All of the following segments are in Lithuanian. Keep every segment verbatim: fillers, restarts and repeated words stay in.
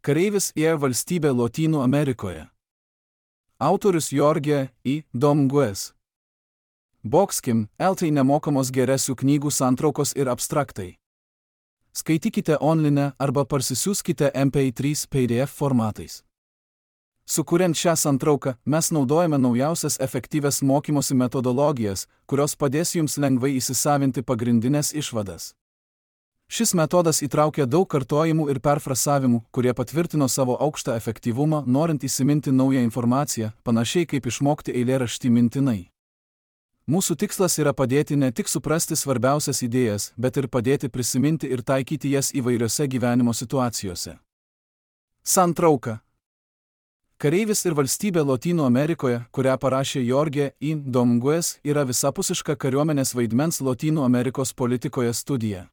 Kareivis ir valstybė Lotynų Amerikoje. Autorius Jorge I. Domínguez. Boxkim, eltai nemokamos geresių knygų santraukos ir abstraktai. Skaitykite online arba parsisiųskite M P trys P D F formatais. Sukuriant šią santrauką, mes naudojame naujausias efektyvias mokymosi metodologijas, kurios padės jums lengvai įsisavinti pagrindinės išvadas. Šis metodas įtraukia daug kartojimų ir perfrasavimų, kurie patvirtino savo aukštą efektyvumą, norint įsiminti naują informaciją, panašiai kaip išmokti eilėraštį mintinai. Mūsų tikslas yra padėti ne tik suprasti svarbiausias idėjas, bet ir padėti prisiminti ir taikyti jas įvairiose gyvenimo situacijose. Santrauka. Kareivis ir valstybė Lotynų Amerikoje, kurią parašė Jorge I. Domínguez, yra visapusiška kariuomenės vaidmens Lotynų Amerikos politikoje studija.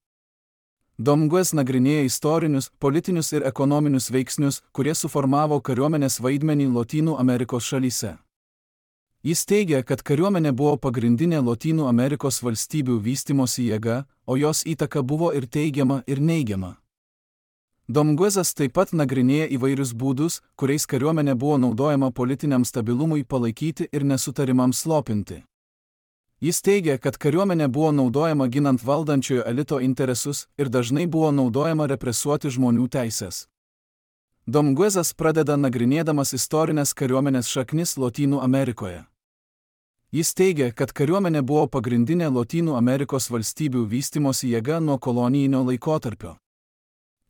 Domínguez nagrinėja istorinius, politinius ir ekonominius veiksnius, kurie suformavo kariuomenės vaidmenį Lotynų Amerikos šalyse. Jis teigia, kad kariuomenė buvo pagrindinė Lotynų Amerikos valstybių vystymosi jėga, o jos įtaka buvo ir teigiama, ir neigiama. Domínguezas taip pat nagrinėja įvairius būdus, kuriais kariuomenė buvo naudojama politiniam stabilumui palaikyti ir nesutarimams slopinti. Jis teigia, kad kariuomenė buvo naudojama ginant valdančiojo elito interesus ir dažnai buvo naudojama represuoti žmonių teises. Domínguezas pradeda nagrinėdamas istorinės kariuomenės šaknis Lotynų Amerikoje. Jis teigia, kad kariuomenė buvo pagrindinė Lotynų Amerikos valstybių vystymosi jėga nuo kolonijinio laikotarpio.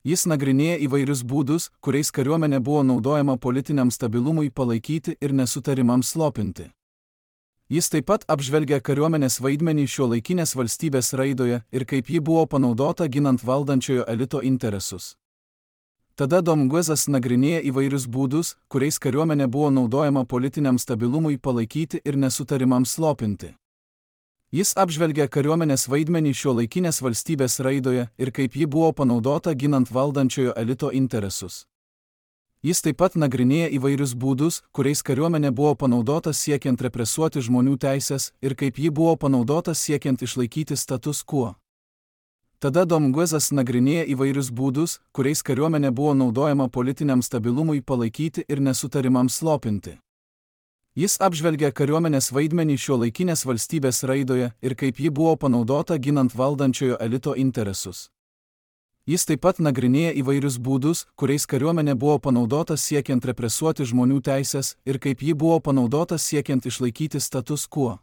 Jis nagrinėja įvairius būdus, kuriais kariuomenė buvo naudojama politiniam stabilumui palaikyti ir nesutarimams slopinti. Jis taip pat apžvelgia kariuomenės vaidmenį šiuolaikinės valstybės raidoje ir kaip ji buvo panaudota ginant valdančiojo elito interesus. Tada Domínguezas nagrinėja įvairius būdus, kuriais kariuomenė buvo naudojama politiniam stabilumui palaikyti ir nesutarimams slopinti. Jis apžvelgia kariuomenės vaidmenį šiuolaikinės valstybės raidoje ir kaip ji buvo panaudota ginant valdančiojo elito interesus. Jis taip pat nagrinėja įvairius būdus, kuriais kariuomenė buvo panaudota siekiant represuoti žmonių teises ir kaip ji buvo panaudota siekiant išlaikyti status quo. Tada Domínguezas nagrinėja įvairius būdus, kuriais kariuomenė buvo naudojama politiniam stabilumui palaikyti ir nesutarimams slopinti. Jis apžvelgia kariuomenės vaidmenį šiuolaikinės valstybės raidoje ir kaip ji buvo panaudota ginant valdančiojo elito interesus. Jis taip pat nagrinėja įvairius būdus, kuriais kariuomenė buvo panaudota siekiant represuoti žmonių teises ir kaip ji buvo panaudota siekiant išlaikyti status quo.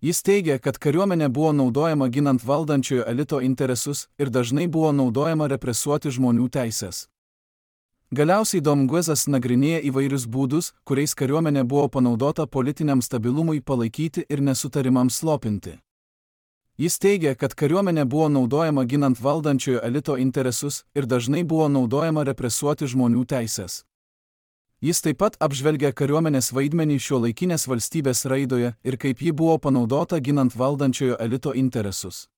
Jis teigia, kad kariuomenė buvo naudojama ginant valdančiojo elito interesus ir dažnai buvo naudojama represuoti žmonių teises. Galiausiai Domínguezas nagrinėja įvairius būdus, kuriais kariuomenė buvo panaudota politiniam stabilumui palaikyti ir nesutarimams slopinti. Jis teigia, kad kariuomenė buvo naudojama ginant valdančiojo elito interesus ir dažnai buvo naudojama represuoti žmonių teises. Jis taip pat apžvelgia kariuomenės vaidmenį šiuolaikinės valstybės raidoje ir kaip ji buvo panaudota ginant valdančiojo elito interesus.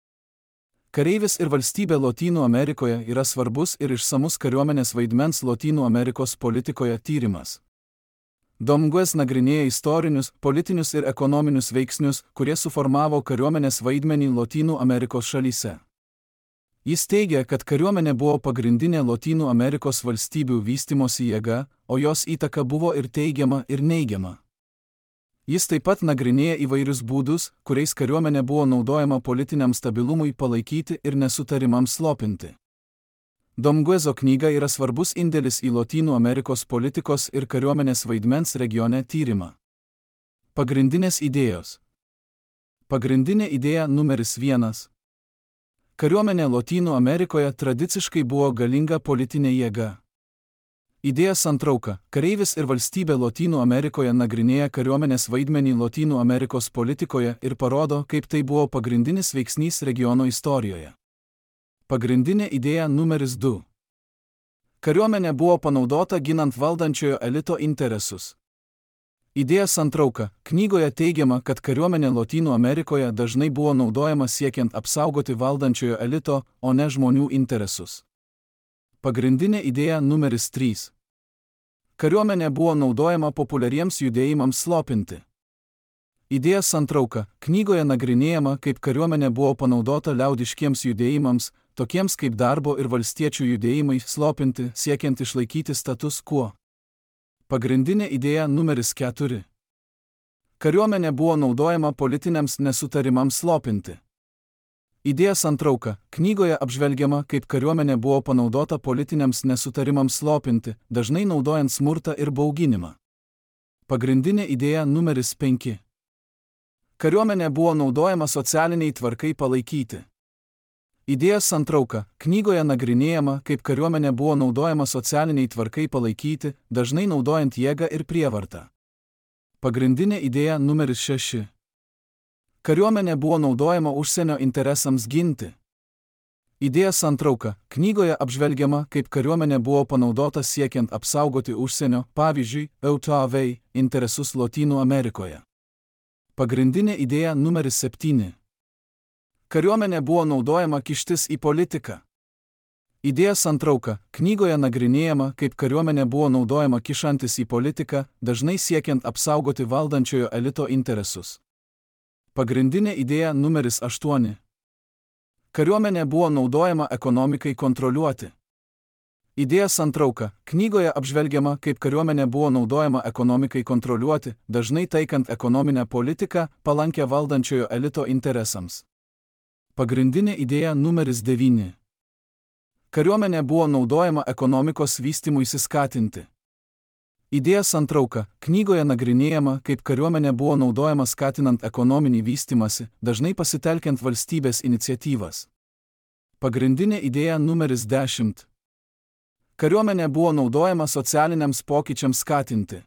Kareivis ir valstybė Lotynų Amerikoje yra svarbus ir išsamus kariuomenės vaidmens Lotynų Amerikos politikoje tyrimas. Domínguez nagrinėja istorinius, politinius ir ekonominius veiksnius, kurie suformavo kariuomenės vaidmenį Lotynų Amerikos šalyse. Jis teigia, kad kariuomenė buvo pagrindinė Lotynų Amerikos valstybių vystymosi jėga, o jos įtaka buvo ir teigiama, ir neigiama. Jis taip pat nagrinėja įvairius būdus, kuriais kariuomenė buvo naudojama politiniam stabilumui palaikyti ir nesutarimams slopinti. Domínguezo knyga yra svarbus indėlis į Lotynų Amerikos politikos ir kariuomenės vaidmens regione tyrimą. Pagrindinės idėjos. Pagrindinė idėja numeris vienas. Kariuomenė Lotynų Amerikoje tradiciškai buvo galinga politinė jėga. Idėja santrauka. Kareivis ir valstybė Lotynų Amerikoje nagrinėja kariuomenės vaidmenį Lotynų Amerikos politikoje ir parodo, kaip tai buvo pagrindinis veiksnys regiono istorijoje. Pagrindinė idėja numeris du. Kariuomenė buvo panaudota ginant valdančiojo elito interesus. Idėja santrauka. Knygoje teigiama, kad kariuomenė Lotynų Amerikoje dažnai buvo naudojama siekiant apsaugoti valdančiojo elito, o ne žmonių interesus. Pagrindinė idėja numeris trys. Kariuomenė buvo naudojama populiariems judėjimams slopinti. Idėja santrauka. Knygoje nagrinėjama, kaip kariuomenė buvo panaudota liaudiškiems judėjimams, tokiems kaip darbo ir valstiečių judėjimai, slopinti, siekiant išlaikyti status quo. Pagrindinė idėja numeris keturi. Kariuomenė buvo naudojama politiniams nesutarimams slopinti. Idėja santrauka. Knygoje apžvelgiama, kaip kariuomenė buvo panaudota politiniams nesutarimams slopinti, dažnai naudojant smurtą ir bauginimą. Pagrindinė idėja numeris penki. Kariuomenė buvo naudojama socialiniai tvarkai palaikyti. Idėja santrauka. Knygoje nagrinėjama, kaip kariuomenė buvo naudojama socialiniai tvarkai palaikyti, dažnai naudojant jėgą ir prievartą. Pagrindinė idėja numeris šeši. Kariuomenė buvo naudojama užsienio interesams ginti. Idėja santrauka. Knygoje apžvelgiama, kaip kariuomenė buvo panaudota siekiant apsaugoti užsienio, pavyzdžiui, E U T A V, interesus Lotynų Amerikoje. Pagrindinė idėja numeris septyni. Kariuomenė buvo naudojama kištis į politiką. Idėja santrauka. Knygoje nagrinėjama, kaip kariuomenė buvo naudojama kišantis į politiką, dažnai siekiant apsaugoti valdančiojo elito interesus. Pagrindinė idėja numeris aštuoni. Kariuomenė buvo naudojama ekonomikai kontroliuoti. Idėja santrauka. Knygoje apžvelgiama, kaip kariuomenė buvo naudojama ekonomikai kontroliuoti, dažnai taikant ekonominę politiką, palankę valdančiojo elito interesams. Pagrindinė idėja numeris devyni. Kariuomenė buvo naudojama ekonomikos vystymuisi skatinti. Idėja santrauka. Knygoje nagrinėjama, kaip kariuomenė buvo naudojama skatinant ekonominį vystymąsi, dažnai pasitelkiant valstybės iniciatyvas. Pagrindinė idėja numeris dešimt. Kariuomenė buvo naudojama socialiniams pokyčiams skatinti.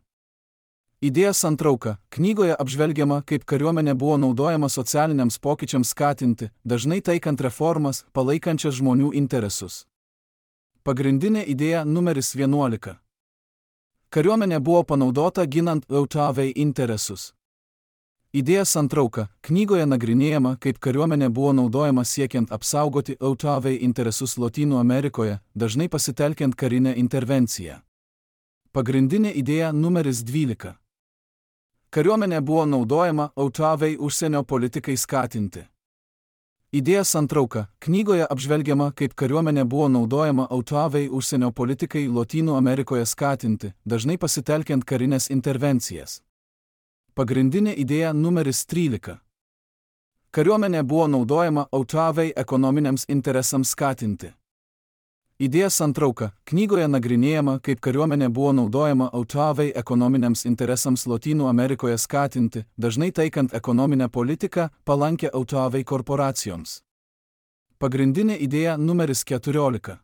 Idėja santrauka. Knygoje apžvelgiama, kaip kariuomenė buvo naudojama socialiniams pokyčiams skatinti, dažnai taikant reformas, palaikančias žmonių interesus. Pagrindinė idėja numeris vienuolika. Kariuomenė buvo panaudota ginant E U T A V interesus. Idėja santrauka. Knygoje nagrinėjama, kaip kariuomenė buvo naudojama siekiant apsaugoti E U T A V interesus Lotynų Amerikoje, dažnai pasitelkiant karinę intervenciją. Pagrindinė idėja numeris dvylika. Kariuomenė buvo naudojama E U T A V užsienio politikai skatinti. Idėja santrauka. Knygoje apžvelgiama, kaip kariuomenė buvo naudojama E U T A V užsienio politikai Lotynų Amerikoje skatinti, dažnai pasitelkiant karinės intervencijas. Pagrindinė idėja numeris trylika. Kariuomenė buvo naudojama E U T A V ekonominiams interesams skatinti. Idėja santrauka. Knygoje nagrinėjama, kaip kariuomenė buvo naudojama E U T A V ekonominiams interesams Lotynų Amerikoje skatinti, dažnai taikant ekonominę politiką, palankę E U T A V korporacijoms. Pagrindinė idėja numeris keturiolika.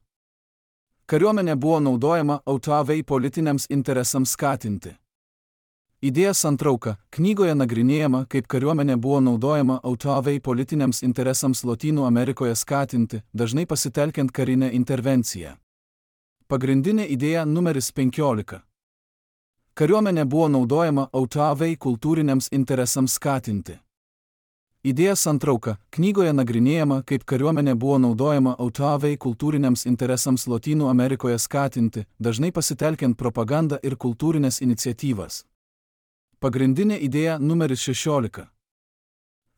Kariuomenė buvo naudojama E U T A V politiniams interesams skatinti. Idėja santrauka. Knygoje nagrinėjama, kaip kariuomenė buvo naudojama E U T A V politiniams interesams Lotynų Amerikoje skatinti, dažnai pasitelkiant karinę intervenciją. Pagrindinė idėja numeris penkiolika. Kariuomenė buvo naudojama E U T A V kultūriniams interesams skatinti. Idėja santrauka. Knygoje nagrinėjama, kaip kariuomenė buvo naudojama E U T A V kultūriniams interesams Lotynų Amerikoje skatinti, dažnai pasitelkiant propagandą ir kultūrinės iniciatyvas. Pagrindinė idėja numeris šešiolika.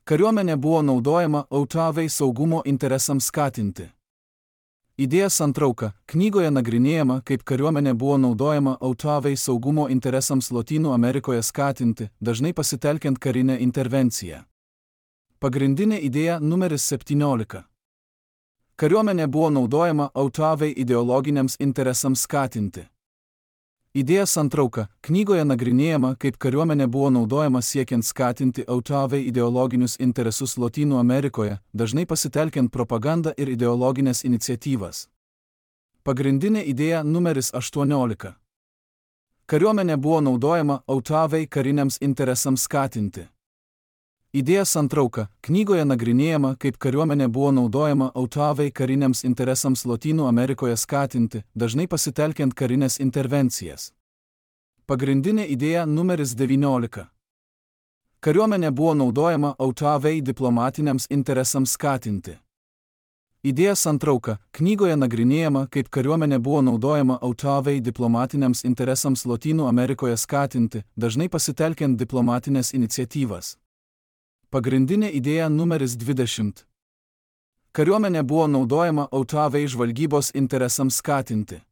Kariuomenė buvo naudojama E U T A V saugumo interesams skatinti. Idėja santrauka. Knygoje nagrinėjama, kaip kariuomenė buvo naudojama E U T A V saugumo interesams Lotynų Amerikoje skatinti, dažnai pasitelkiant karinę intervenciją. Pagrindinė idėja numeris septyniolika. Kariuomenė buvo naudojama E U T A V ideologiniams interesams skatinti. Idėja santrauka. Knygoje nagrinėjama, kaip kariuomenė buvo naudojama siekiant skatinti E U T A V ideologinius interesus Lotynų Amerikoje, dažnai pasitelkiant propagandą ir ideologinės iniciatyvas. Pagrindinė idėja numeris aštuoniolika. Kariuomenė buvo naudojama E U T A V kariniams interesams skatinti. Idėja santrauka. Knygoje nagrinėjama, kaip kariuomenė buvo naudojama E U T A V kariniams interesams Lotynų Amerikoje skatinti, dažnai pasitelkiant karinės intervencijas. Pagrindinė idėja numeris devyniolika. Kariuomenė buvo naudojama E U T A V diplomatiniams interesams skatinti. Idėja santrauka. Knygoje nagrinėjama, kaip kariuomenė buvo naudojama E U T A V diplomatiniams interesams Lotynų Amerikoje skatinti, dažnai pasitelkiant diplomatinės iniciatyvas. Pagrindinė idėja numeris dvidešimt. Kariuomenė buvo naudojama autoavei žvalgybos interesams skatinti.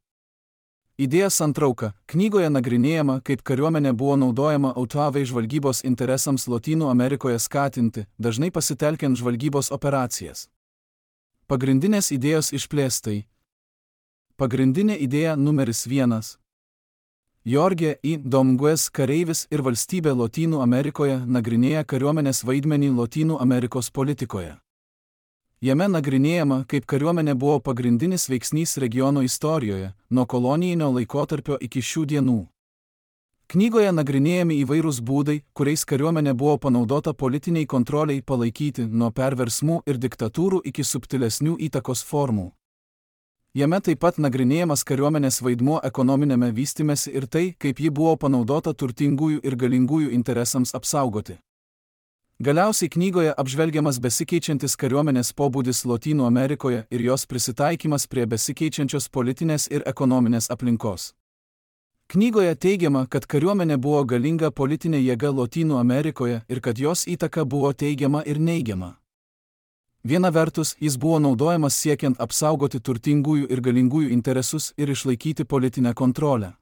Idėja santrauka. Knygoje nagrinėjama, kaip kariuomenė buvo naudojama autoavei žvalgybos interesams Lotynų Amerikoje skatinti, dažnai pasitelkiant žvalgybos operacijas. Pagrindinės idėjos išplėstai. Pagrindinė idėja numeris vienas. Jorge I. Domgues kareivis ir valstybė Lotynų Amerikoje nagrinėja kariuomenės vaidmenį Lotynų Amerikos politikoje. Jame nagrinėjama, kaip kariuomenė buvo pagrindinis veiksnys regiono istorijoje, nuo kolonijinio laikotarpio iki šių dienų. Knygoje nagrinėjami įvairūs būdai, kuriais kariuomenė buvo panaudota politiniai kontroliai palaikyti, nuo perversmų ir diktatūrų iki subtilesnių įtakos formų. Jame taip pat nagrinėjamas kariuomenės vaidmuo ekonominėme vystymesi ir tai, kaip ji buvo panaudota turtingųjų ir galingųjų interesams apsaugoti. Galiausiai knygoje apžvelgiamas besikeičiantis kariuomenės pobūdis Lotynų Amerikoje ir jos prisitaikymas prie besikeičiančios politinės ir ekonominės aplinkos. Knygoje teigiama, kad kariuomenė buvo galinga politinė jėga Lotynų Amerikoje ir kad jos įtaka buvo teigiama ir neigiama. Viena vertus, jis buvo naudojamas siekiant apsaugoti turtingųjų ir galingųjų interesus ir išlaikyti politinę kontrolę.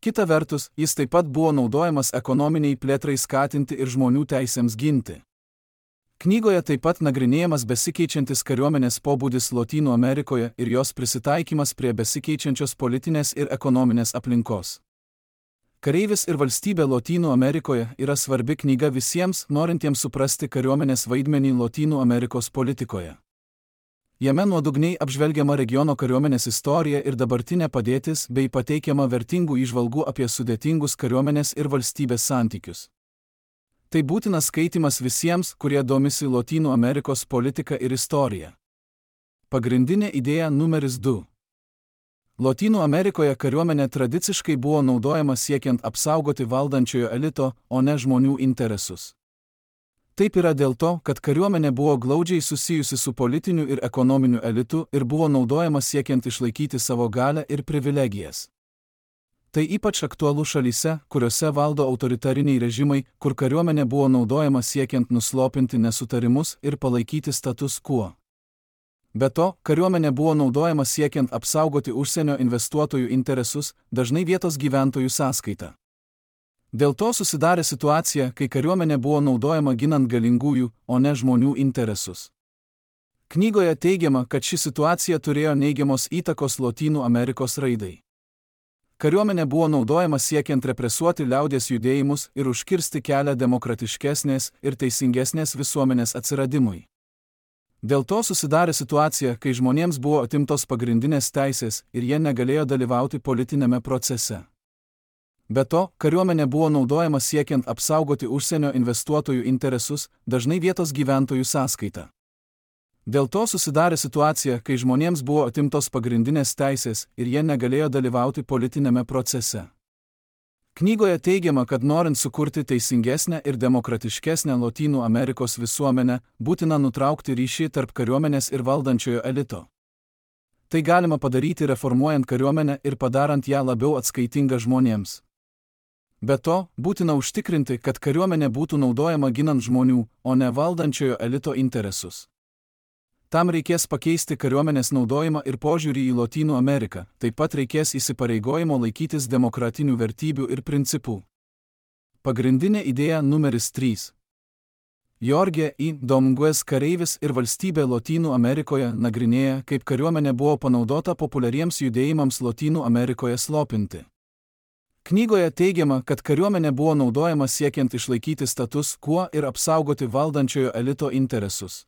Kita vertus, jis taip pat buvo naudojamas ekonominiai plėtrai skatinti ir žmonių teisėms ginti. Knygoje taip pat nagrinėjamas besikeičiantis kariuomenės pobūdis Lotynų Amerikoje ir jos prisitaikymas prie besikeičiančios politinės ir ekonominės aplinkos. Kareivis ir valstybė Lotynų Amerikoje yra svarbi knyga visiems, norintiems suprasti kariuomenės vaidmenį Lotynų Amerikos politikoje. Jame nuodugniai apžvelgiama regiono kariuomenės istorija ir dabartinė padėtis bei pateikiama vertingų įžvalgų apie sudėtingus kariuomenės ir valstybės santykius. Tai būtinas skaitimas visiems, kurie domisi Lotynų Amerikos politika ir istorija. Pagrindinė idėja numeris du. Lotynų Amerikoje kariuomenė tradiciškai buvo naudojama siekiant apsaugoti valdančiojo elito, o ne žmonių interesus. Taip yra dėl to, kad kariuomenė buvo glaudžiai susijusi su politiniu ir ekonominiu elitu ir buvo naudojama siekiant išlaikyti savo galią ir privilegijas. Tai ypač aktualu šalyse, kuriuose valdo autoritariniai režimai, kur kariuomenė buvo naudojama siekiant nuslopinti nesutarimus ir palaikyti status quo. Be to, kariuomenė buvo naudojama siekiant apsaugoti užsienio investuotojų interesus, dažnai vietos gyventojų sąskaita. Dėl to susidarė situacija, kai kariuomenė buvo naudojama ginant galingųjų, o ne žmonių interesus. Knygoje teigiama, kad ši situacija turėjo neigiamos įtakos Lotynų Amerikos raidai. Kariuomenė buvo naudojama siekiant represuoti liaudies judėjimus ir užkirsti kelią demokratiškesnės ir teisingesnės visuomenės atsiradimui. Dėl to susidarė situacija, kai žmonėms buvo atimtos pagrindinės teisės ir jie negalėjo dalyvauti politinėme procese. Be to, kariuomenė buvo naudojama siekiant apsaugoti užsienio investuotojų interesus, dažnai vietos gyventojų sąskaita. Dėl to susidarė situacija, kai žmonėms buvo atimtos pagrindinės teisės ir jie negalėjo dalyvauti politinėme procese. Knygoje teigiama, kad norint sukurti teisingesnę ir demokratiškesnę Lotynų Amerikos visuomenę, būtina nutraukti ryšį tarp kariuomenės ir valdančiojo elito. Tai galima padaryti reformuojant kariuomenę ir padarant ją labiau atskaitingą žmonėms. Be to, būtina užtikrinti, kad kariuomenė būtų naudojama ginant žmonių, o ne valdančiojo elito interesus. Tam reikės pakeisti kariuomenės naudojimą ir požiūrį į Lotynų Ameriką, taip pat reikės įsipareigojimo laikytis demokratinių vertybių ir principų. Pagrindinė idėja numeris trys. Jorge I. Domgues kareivis ir valstybė Lotynų Amerikoje nagrinėja, kaip kariuomenė buvo panaudota populiariems judėjimams Lotynų Amerikoje slopinti. Knygoje teigiama, kad kariuomenė buvo naudojama siekiant išlaikyti status quo ir apsaugoti valdančiojo elito interesus.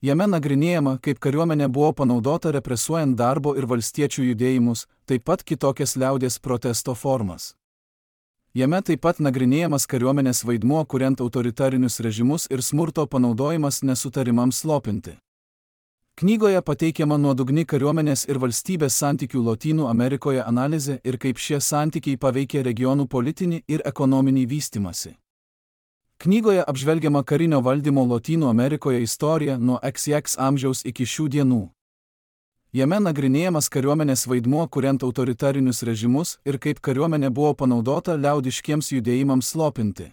Jame nagrinėjama, kaip kariuomenė buvo panaudota represuojant darbo ir valstiečių judėjimus, taip pat kitokias liaudies protesto formas. Jame taip pat nagrinėjamas kariuomenės vaidmuo kuriant autoritarinius režimus ir smurto panaudojimas nesutarimams slopinti. Knygoje pateikiama nuodugni kariuomenės ir valstybės santykių Lotynų Amerikoje analizė ir kaip šie santykiai paveikė regionų politinį ir ekonominį vystymąsi. Knygoje apžvelgiama karinio valdymo Lotynų Amerikoje istorija nuo X X amžiaus iki šių dienų. Jame nagrinėjamas kariuomenės vaidmuo kuriant autoritarinius režimus ir kaip kariuomenė buvo panaudota liaudiškiems judėjimams slopinti.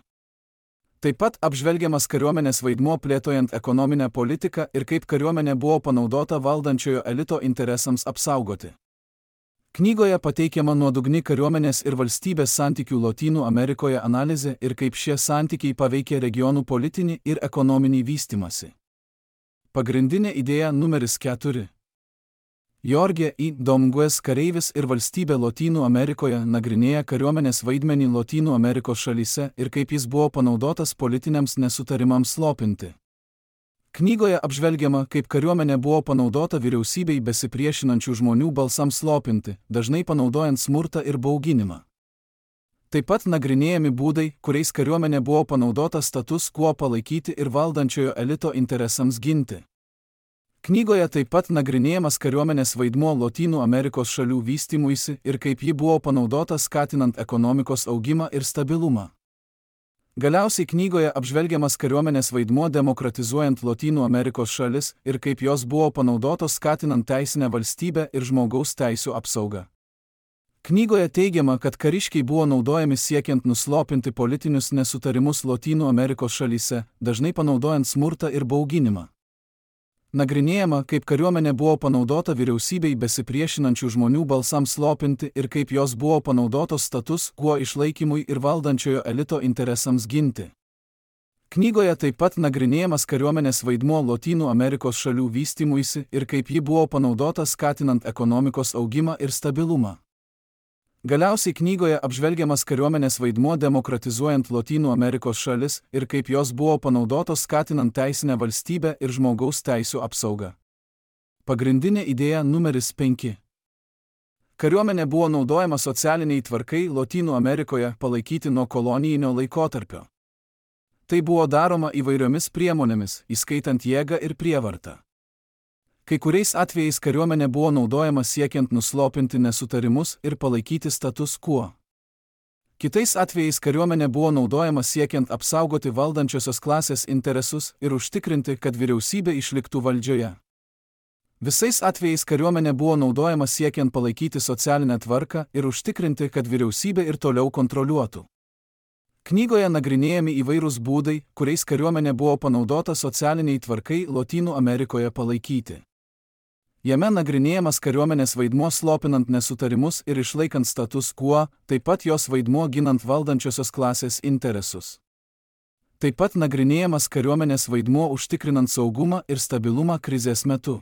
Taip pat apžvelgiamas kariuomenės vaidmuo plėtojant ekonominę politiką ir kaip kariuomenė buvo panaudota valdančiojo elito interesams apsaugoti. Knygoje pateikiama nuodugni kariuomenės ir valstybės santykių Lotynų Amerikoje analizė ir kaip šie santykiai paveikė regionų politinį ir ekonominį vystymąsi. Pagrindinė idėja numeris keturi. Jorge I. Domgues kareivis ir valstybė Lotynų Amerikoje nagrinėja kariuomenės vaidmenį Lotynų Amerikos šalyse ir kaip jis buvo panaudotas politiniams nesutarimams slopinti. Knygoje apžvelgiama, kaip kariuomenė buvo panaudota vyriausybei besipriešinančių žmonių balsams slopinti, dažnai panaudojant smurtą ir bauginimą. Taip pat nagrinėjami būdai, kuriais kariuomenė buvo panaudota status quo palaikyti ir valdančiojo elito interesams ginti. Knygoje taip pat nagrinėjamas kariuomenės vaidmuo Lotynų Amerikos šalių vystymuisi ir kaip ji buvo panaudota skatinant ekonomikos augimą ir stabilumą. Galiausiai knygoje apžvelgiamas kariuomenės vaidmuo demokratizuojant Lotynų Amerikos šalis ir kaip jos buvo panaudotos skatinant teisinę valstybę ir žmogaus teisių apsaugą. Knygoje teigiama, kad kariškiai buvo naudojami siekiant nuslopinti politinius nesutarimus Lotynų Amerikos šalyse, dažnai panaudojant smurtą ir bauginimą. Nagrinėjama, kaip kariuomenė buvo panaudota vyriausybei besipriešinančių žmonių balsams slopinti ir kaip jos buvo panaudotos status quo išlaikymui ir valdančiojo elito interesams ginti. Knygoje taip pat nagrinėjamas kariuomenės vaidmuo Lotynų Amerikos šalių vystymuisi ir kaip ji buvo panaudota skatinant ekonomikos augimą ir stabilumą. Galiausiai knygoje apžvelgiamas kariuomenės vaidmuo demokratizuojant Lotynų Amerikos šalis ir kaip jos buvo panaudotos skatinant teisinę valstybę ir žmogaus teisių apsaugą. Pagrindinė idėja numeris penki. Kariuomenė buvo naudojama socialiniai tvarkai Lotynų Amerikoje palaikyti nuo kolonijinio laikotarpio. Tai buvo daroma įvairiomis priemonėmis, įskaitant jėgą ir prievartą. Kai kuriais atvejais kariuomenė buvo naudojama siekiant nuslopinti nesutarimus ir palaikyti status quo. Kitais atvejais kariuomenė buvo naudojama siekiant apsaugoti valdančiosios klasės interesus ir užtikrinti, kad vyriausybė išliktų valdžioje. Visais atvejais kariuomenė buvo naudojama siekiant palaikyti socialinę tvarką ir užtikrinti, kad vyriausybė ir toliau kontroliuotų. Knygoje nagrinėjami įvairūs būdai, kuriais kariuomenė buvo panaudota socialiniai tvarkai Lotynų Amerikoje palaikyti. Jame nagrinėjamas kariuomenės vaidmuo slopinant nesutarimus ir išlaikant status quo, taip pat jos vaidmuo ginant valdančiosios klasės interesus. Taip pat nagrinėjamas kariuomenės vaidmuo užtikrinant saugumą ir stabilumą krizės metu.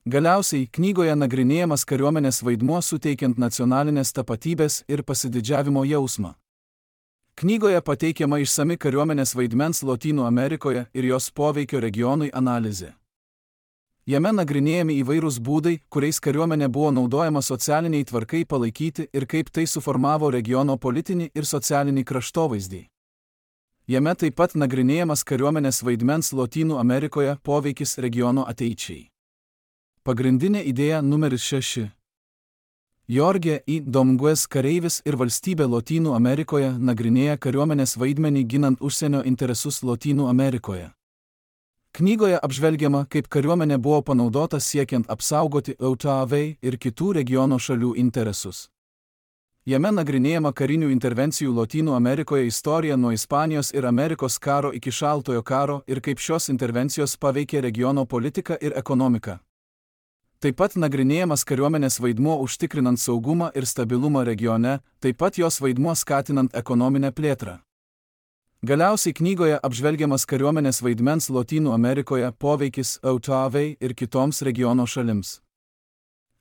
Galiausiai knygoje nagrinėjamas kariuomenės vaidmuo suteikiant nacionalinės tapatybės ir pasididžiavimo jausmą. Knygoje pateikiama išsami kariuomenės vaidmens Lotynų Amerikoje ir jos poveikio regionui analizė. Jame nagrinėjami įvairūs būdai, kuriais kariuomenė buvo naudojama socialiniai tvarkai palaikyti ir kaip tai suformavo regiono politinį ir socialinį kraštovaizdį. Jame taip pat nagrinėjamas kariuomenės vaidmens Lotynų Amerikoje poveikis regiono ateičiai. Pagrindinė idėja numeris šeši. Jorge I. Domgues kareivis ir valstybė Lotynų Amerikoje nagrinėja kariuomenės vaidmenį ginant užsienio interesus Lotynų Amerikoje. Knygoje apžvelgiama, kaip kariuomenė buvo panaudota siekiant apsaugoti E U T A V ir kitų regiono šalių interesus. Jame nagrinėjama karinių intervencijų Lotynų Amerikoje istorija nuo Ispanijos ir Amerikos karo iki Šaltojo karo ir kaip šios intervencijos paveikė regiono politiką ir ekonomiką. Taip pat nagrinėjamas kariuomenės vaidmuo užtikrinant saugumą ir stabilumą regione, taip pat jos vaidmuo skatinant ekonominę plėtrą. Galiausiai knygoje apžvelgiamas kariuomenės vaidmens Lotynų Amerikoje poveikis E U T A V ir kitoms regiono šalims.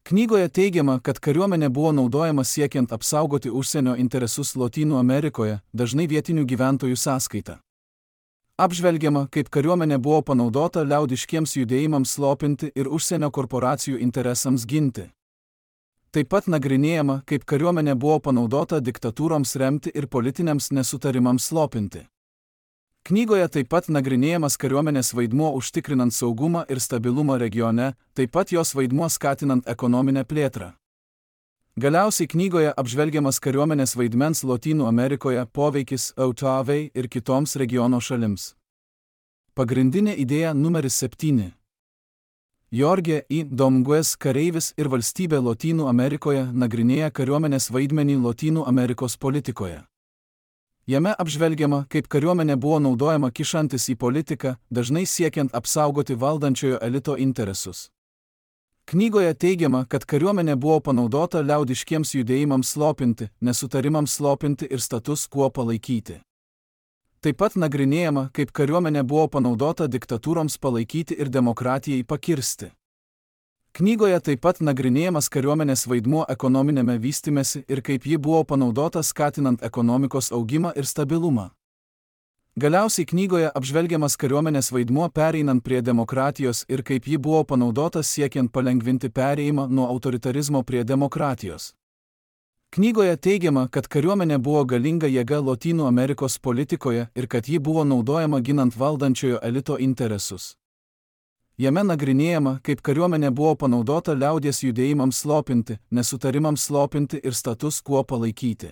Knygoje teigiama, kad kariuomenė buvo naudojama siekiant apsaugoti užsienio interesus Lotynų Amerikoje, dažnai vietinių gyventojų sąskaita. Apžvelgiama, kaip kariuomenė buvo panaudota liaudiškiems judėjimams slopinti ir užsienio korporacijų interesams ginti. Taip pat nagrinėjama, kaip kariuomenė buvo panaudota diktatūroms remti ir politiniams nesutarimams slopinti. Knygoje taip pat nagrinėjamas kariuomenės vaidmuo užtikrinant saugumą ir stabilumą regione, taip pat jos vaidmuo skatinant ekonominę plėtrą. Galiausiai knygoje apžvelgiamas kariuomenės vaidmens Lotynų Amerikoje poveikis E U T A V ir kitoms regiono šalims. Pagrindinė idėja numeris septyni. Jorge I. Domgues kareivis ir valstybė Lotynų Amerikoje nagrinėja kariuomenės vaidmenį Lotynų Amerikos politikoje. Jame apžvelgiama, kaip kariuomenė buvo naudojama kišantis į politiką, dažnai siekiant apsaugoti valdančiojo elito interesus. Knygoje teigiama, kad kariuomenė buvo panaudota liaudiškiems judėjimams slopinti, nesutarimams slopinti ir status quo palaikyti. Taip pat nagrinėjama, kaip kariuomenė buvo panaudota diktatūroms palaikyti ir demokratijai pakirsti. Knygoje taip pat nagrinėjamas kariuomenės vaidmuo ekonominėme vystymesi ir kaip ji buvo panaudota skatinant ekonomikos augimą ir stabilumą. Galiausiai knygoje apžvelgiamas kariuomenės vaidmuo pereinant prie demokratijos ir kaip ji buvo panaudota siekiant palengvinti perėjimą nuo autoritarizmo prie demokratijos. Knygoje teigiama, kad kariuomenė buvo galinga jėga Lotynų Amerikos politikoje ir kad ji buvo naudojama ginant valdančiojo elito interesus. Jame nagrinėjama, kaip kariuomenė buvo panaudota liaudies judėjimams slopinti, nesutarimams slopinti ir status quo palaikyti.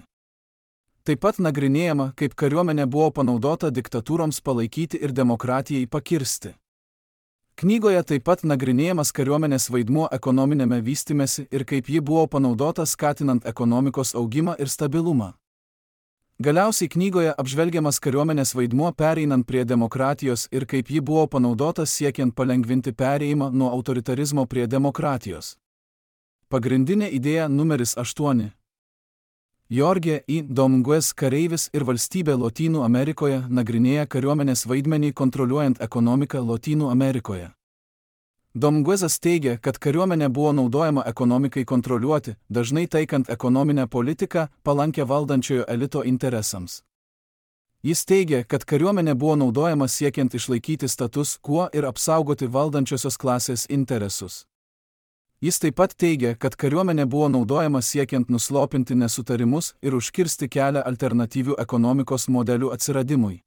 Taip pat nagrinėjama, kaip kariuomenė buvo panaudota diktatūroms palaikyti ir demokratijai pakirsti. Knygoje taip pat nagrinėjamas kariuomenės vaidmuo ekonominėme vystymesi ir kaip ji buvo panaudota skatinant ekonomikos augimą ir stabilumą. Galiausiai knygoje apžvelgiamas kariuomenės vaidmuo pereinant prie demokratijos ir kaip ji buvo panaudota siekiant palengvinti perėjimą nuo autoritarizmo prie demokratijos. Pagrindinė idėja numeris aštuoni. Jorge I. Dominguez kareivis ir valstybė Lotynų Amerikoje nagrinėja kariuomenės vaidmenį kontroliuojant ekonomiką Lotynų Amerikoje. Dominguezas teigia, kad kariuomenė buvo naudojama ekonomikai kontroliuoti, dažnai taikant ekonominę politiką, palankę valdančiojo elito interesams. Jis teigia, kad kariuomenė buvo naudojama siekiant išlaikyti status quo ir apsaugoti valdančiosios klasės interesus. Jis taip pat teigia, kad kariuomenė buvo naudojama siekiant nuslopinti nesutarimus ir užkirsti kelią alternatyvių ekonomikos modelių atsiradimui.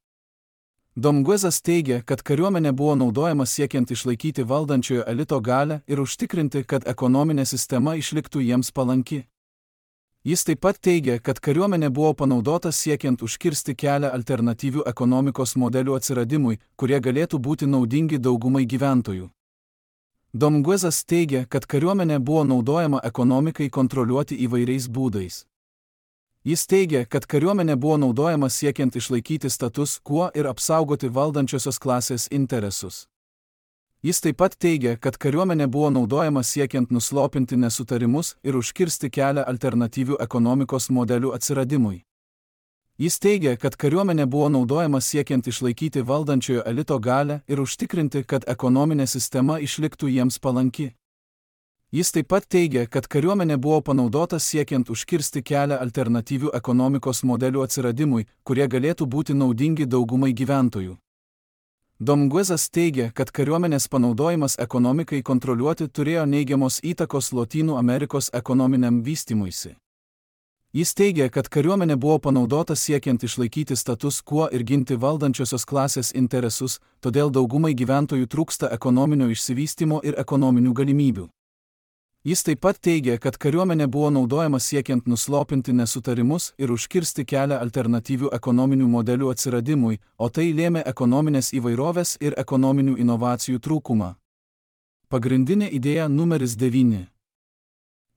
Dominguezas teigia, kad kariuomenė buvo naudojama siekiant išlaikyti valdančiojo elito galią ir užtikrinti, kad ekonominė sistema išliktų jiems palanki. Jis taip pat teigia, kad kariuomenė buvo panaudota siekiant užkirsti kelią alternatyvių ekonomikos modelių atsiradimui, kurie galėtų būti naudingi daugumai gyventojų. Dominguezas teigia, kad kariuomenė buvo naudojama ekonomikai kontroliuoti įvairiais būdais. Jis teigia, kad kariuomenė buvo naudojama siekiant išlaikyti status quo ir apsaugoti valdančiosios klasės interesus. Jis taip pat teigia, kad kariuomenė buvo naudojama siekiant nuslopinti nesutarimus ir užkirsti kelią alternatyvių ekonomikos modelių atsiradimui. Jis teigia, kad kariuomenė buvo naudojama siekiant išlaikyti valdančiojo elito galią ir užtikrinti, kad ekonominė sistema išliktų jiems palanki. Jis taip pat teigia, kad kariuomenė buvo panaudota siekiant užkirsti kelią alternatyvių ekonomikos modelių atsiradimui, kurie galėtų būti naudingi daugumai gyventojų. Dominguezas teigia, kad kariuomenės panaudojimas ekonomikai kontroliuoti turėjo neigiamos įtakos Lotynų Amerikos ekonominiam vystymuisi. Jis teigia, kad kariuomenė buvo panaudota siekiant išlaikyti status quo ir ginti valdančiosios klasės interesus, todėl daugumai gyventojų trūksta ekonominio išsivystymo ir ekonominių galimybių. Jis taip pat teigia, kad kariuomenė buvo naudojama siekiant nuslopinti nesutarimus ir užkirsti kelią alternatyvių ekonominių modelių atsiradimui, o tai lėmė ekonominės įvairovės ir ekonominių inovacijų trūkumą. Pagrindinė idėja numeris devyni.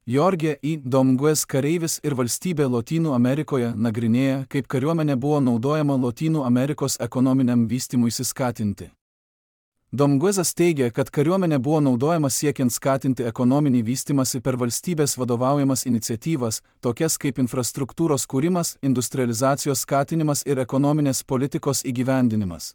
Jorge I. Dominguez kareivis ir valstybė Lotynų Amerikoje nagrinėja, kaip kariuomenė buvo naudojama Lotynų Amerikos ekonominiam vystymuisi skatinti. Dominguezas teigia, kad kariuomenė buvo naudojama siekiant skatinti ekonominį vystymąsi per valstybės vadovaujamas iniciatyvas, tokias kaip infrastruktūros kūrimas, industrializacijos skatinimas ir ekonominės politikos įgyvendinimas.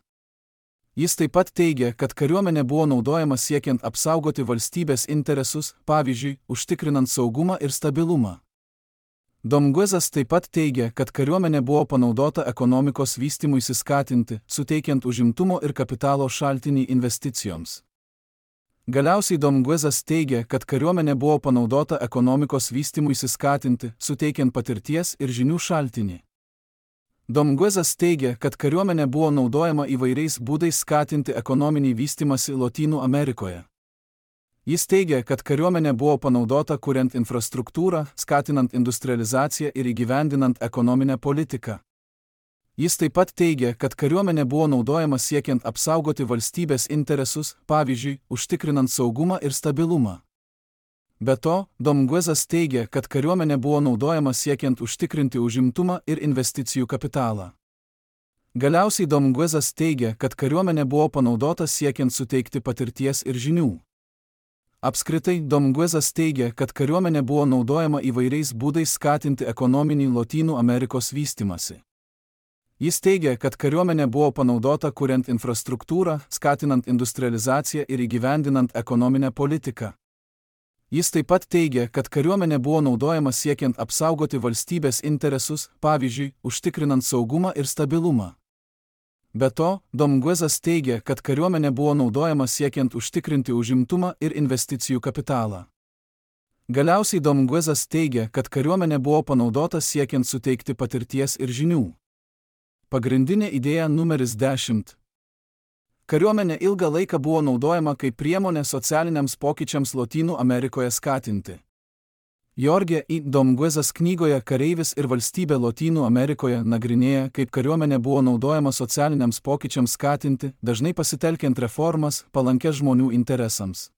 Jis taip pat teigia, kad kariuomenė buvo naudojama siekiant apsaugoti valstybės interesus, pavyzdžiui, užtikrinant saugumą ir stabilumą. Dominguezas taip pat teigia, kad kariuomenė buvo panaudota ekonomikos vystymuisi skatinti, suteikiant užimtumo ir kapitalo šaltinį investicijoms. Galiausiai Dominguezas teigia, kad kariuomenė buvo panaudota ekonomikos vystymuisi skatinti, suteikiant patirties ir žinių šaltinį. Dominguezas teigia, kad kariuomenė buvo naudojama įvairiais būdais skatinti ekonominį vystymąsi Lotynų Amerikoje. Jis teigia, kad kariuomenė buvo panaudota kuriant infrastruktūrą, skatinant industrializaciją ir įgyvendinant ekonominę politiką. Jis taip pat teigia, kad kariuomenė buvo naudojama siekiant apsaugoti valstybės interesus, pavyzdžiui, užtikrinant saugumą ir stabilumą. Be to, Dominguezas teigia, kad kariuomenė buvo naudojama siekiant užtikrinti užimtumą ir investicijų kapitalą. Galiausiai Dominguezas teigia, kad kariuomenė buvo panaudota siekiant suteikti patirties ir žinių. Apskritai, Dominguezas teigia, kad kariuomenė buvo naudojama įvairiais būdais skatinti ekonominį Lotynų Amerikos vystymąsi. Jis teigia, kad kariuomenė buvo panaudota kuriant infrastruktūrą, skatinant industrializaciją ir įgyvendinant ekonominę politiką. Jis taip pat teigia, kad kariuomenė buvo naudojama siekiant apsaugoti valstybės interesus, pavyzdžiui, užtikrinant saugumą ir stabilumą. Be to, Dominguezas teigia, kad kariuomenė buvo naudojama siekiant užtikrinti užimtumą ir investicijų kapitalą. Galiausiai Dominguezas teigia, kad kariuomenė buvo panaudota siekiant suteikti patirties ir žinių. Pagrindinė idėja numeris dešimt. Kariuomenė ilgą laiką buvo naudojama kaip priemonė socialiniams pokyčiams Lotynų Amerikoje skatinti. Jorge I. Dominguezas knygoje Kareivis ir valstybė Lotynų Amerikoje nagrinėja, kaip kariuomenė buvo naudojama socialiniams pokyčiams skatinti, dažnai pasitelkiant reformas, palankės žmonių interesams.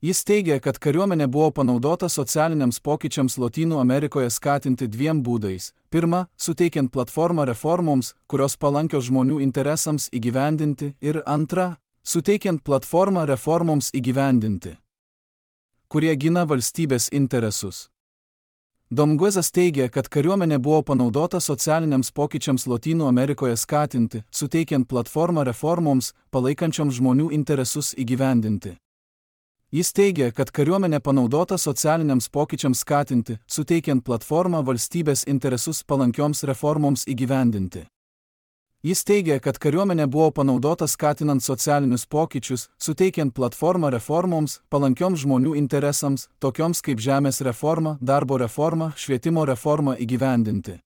Jis teigia, kad kariuomenė buvo panaudota socialiniams pokyčiams Lotynų Amerikoje skatinti dviem būdais. Pirma, suteikiant platformą reformoms, kurios palankios žmonių interesams įgyvendinti, ir antra, suteikiant platformą reformoms įgyvendinti, kurie gina valstybės interesus. Dominguezas teigia, kad kariuomenė buvo panaudota socialiniams pokyčiams Lotynų Amerikoje skatinti, suteikiant platformą reformoms, palaikančioms žmonių interesus įgyvendinti. Jis teigia, kad kariuomenė panaudota socialiniams pokyčiams skatinti, suteikiant platformą valstybės interesus palankioms reformoms įgyvendinti. Jis teigia, kad kariuomenė buvo panaudota skatinant socialinius pokyčius, suteikiant platformą reformoms, palankioms žmonių interesams, tokioms kaip žemės reforma, darbo reforma, švietimo reforma įgyvendinti.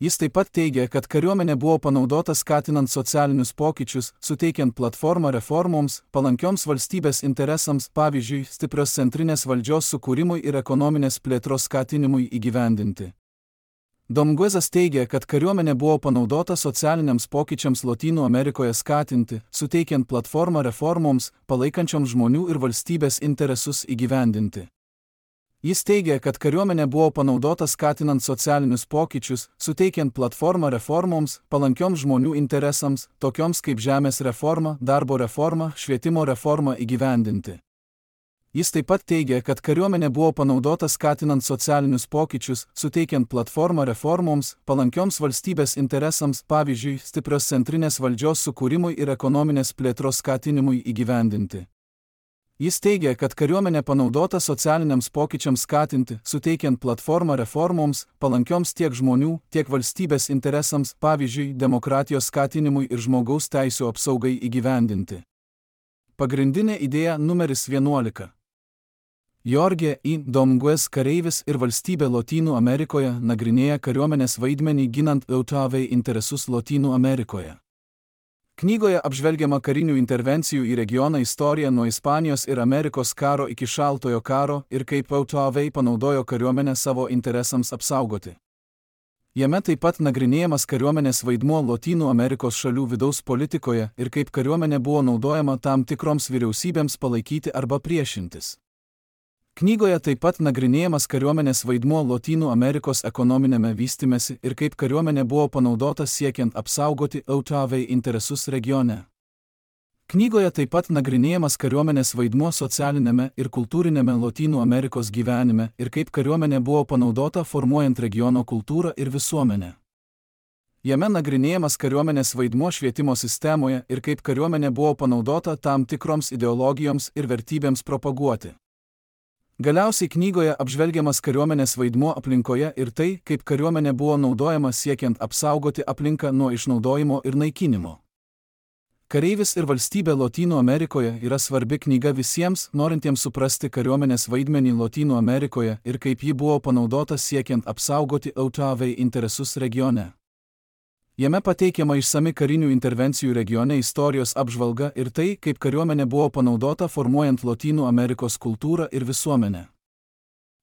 Jis taip pat teigia, kad kariuomenė buvo panaudota skatinant socialinius pokyčius, suteikiant platformą reformoms, palankioms valstybės interesams, pavyzdžiui, stiprios centrinės valdžios sukūrimui ir ekonominės plėtros skatinimui įgyvendinti. Dominguezas teigia, kad kariuomenė buvo panaudota socialiniams pokyčiams Lotynų Amerikoje skatinti, suteikiant platformą reformoms, palaikančioms žmonių ir valstybės interesus įgyvendinti. Jis teigia, kad kariuomenė buvo panaudota skatinant socialinius pokyčius, suteikiant platformą reformoms, palankioms žmonių interesams, tokioms kaip žemės reforma, darbo reforma, švietimo reforma įgyvendinti. Jis taip pat teigia, kad kariuomenė buvo panaudota skatinant socialinius pokyčius, suteikiant platformą reformoms, palankioms valstybės interesams, pavyzdžiui, stiprios centrinės valdžios sukūrimui ir ekonominės plėtros skatinimui įgyvendinti. Jis teigia, kad kariuomenė panaudota socialiniams pokyčiams skatinti, suteikiant platformą reformoms, palankioms tiek žmonių, tiek valstybės interesams, pavyzdžiui, demokratijos skatinimui ir žmogaus teisių apsaugai įgyvendinti. Pagrindinė idėja numeris vienuolika. Jorge I. Dominguez Kareivis ir valstybė Lotynų Amerikoje nagrinėja kariuomenės vaidmenį ginant E U T A V interesus Lotynų Amerikoje. Knygoje apžvelgiama karinių intervencijų į regioną istorija nuo Ispanijos ir Amerikos karo iki Šaltojo karo ir kaip E U T A V panaudojo kariuomenę savo interesams apsaugoti. Jame taip pat nagrinėjamas kariuomenės vaidmuo Lotynų Amerikos šalių vidaus politikoje ir kaip kariuomenė buvo naudojama tam tikroms vyriausybėms palaikyti arba priešintis. Knygoje taip pat nagrinėjamas kariuomenės vaidmuo Lotynų Amerikos ekonominėme vystymesi ir kaip kariuomenė buvo panaudota siekiant apsaugoti E U T A V interesus regione. Knygoje taip pat nagrinėjamas kariuomenės vaidmuo socialinėme ir kultūrinėme Lotynų Amerikos gyvenime ir kaip kariuomenė buvo panaudota formuojant regiono kultūrą ir visuomenę. Jame nagrinėjamas kariuomenės vaidmuo švietimo sistemoje ir kaip kariuomenė buvo panaudota tam tikroms ideologijoms ir vertybėms propaguoti. Galiausiai knygoje apžvelgiamas kariuomenės vaidmuo aplinkoje ir tai, kaip kariuomenė buvo naudojama siekiant apsaugoti aplinką nuo išnaudojimo ir naikinimo. Kareivis ir valstybė Lotynų Amerikoje yra svarbi knyga visiems, norintiems suprasti kariuomenės vaidmenį Lotynų Amerikoje ir kaip ji buvo panaudota siekiant apsaugoti E U T A V interesus regione. Jame pateikiama išsami karinių intervencijų regione istorijos apžvalga ir tai, kaip kariuomenė buvo panaudota formuojant Lotynų Amerikos kultūrą ir visuomenę.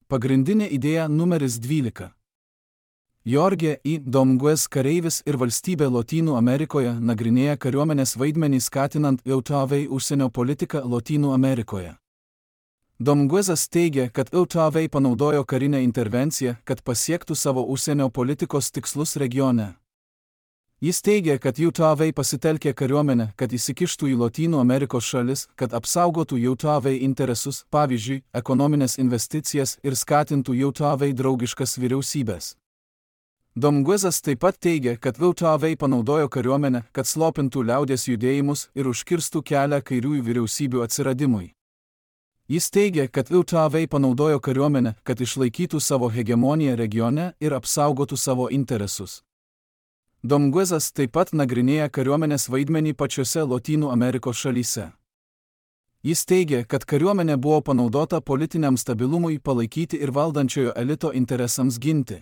Pagrindinė idėja numeris dvylika. Jorge I. Dominguez Kareivis ir valstybė Lotynų Amerikoje nagrinėja kariuomenės vaidmenį skatinant E U T A V užsienio politiką Lotynų Amerikoje. Dominguezas teigia, kad E U T A V panaudojo karinę intervenciją, kad pasiektų savo užsienio politikos tikslus regione. Jis teigia, kad Jautavai pasitelkė kariuomenę, kad įsikištų į Lotynų Amerikos šalis, kad apsaugotų Jautavai interesus, pavyzdžiui, ekonominės investicijas ir skatintų Jautavai draugiškas vyriausybės. Domguezas taip pat teigia, kad Jautavai panaudojo kariuomenę, kad slopintų liaudies judėjimus ir užkirstų kelią kairiųjų vyriausybių atsiradimui. Jis teigia, kad Jautavai panaudojo kariuomenę, kad išlaikytų savo hegemoniją regione ir apsaugotų savo interesus. Domguezas taip pat nagrinėja kariuomenės vaidmenį pačiose Lotynų Amerikos šalyse. Jis teigia, kad kariuomenė buvo panaudota politiniam stabilumui palaikyti ir valdančiojo elito interesams ginti.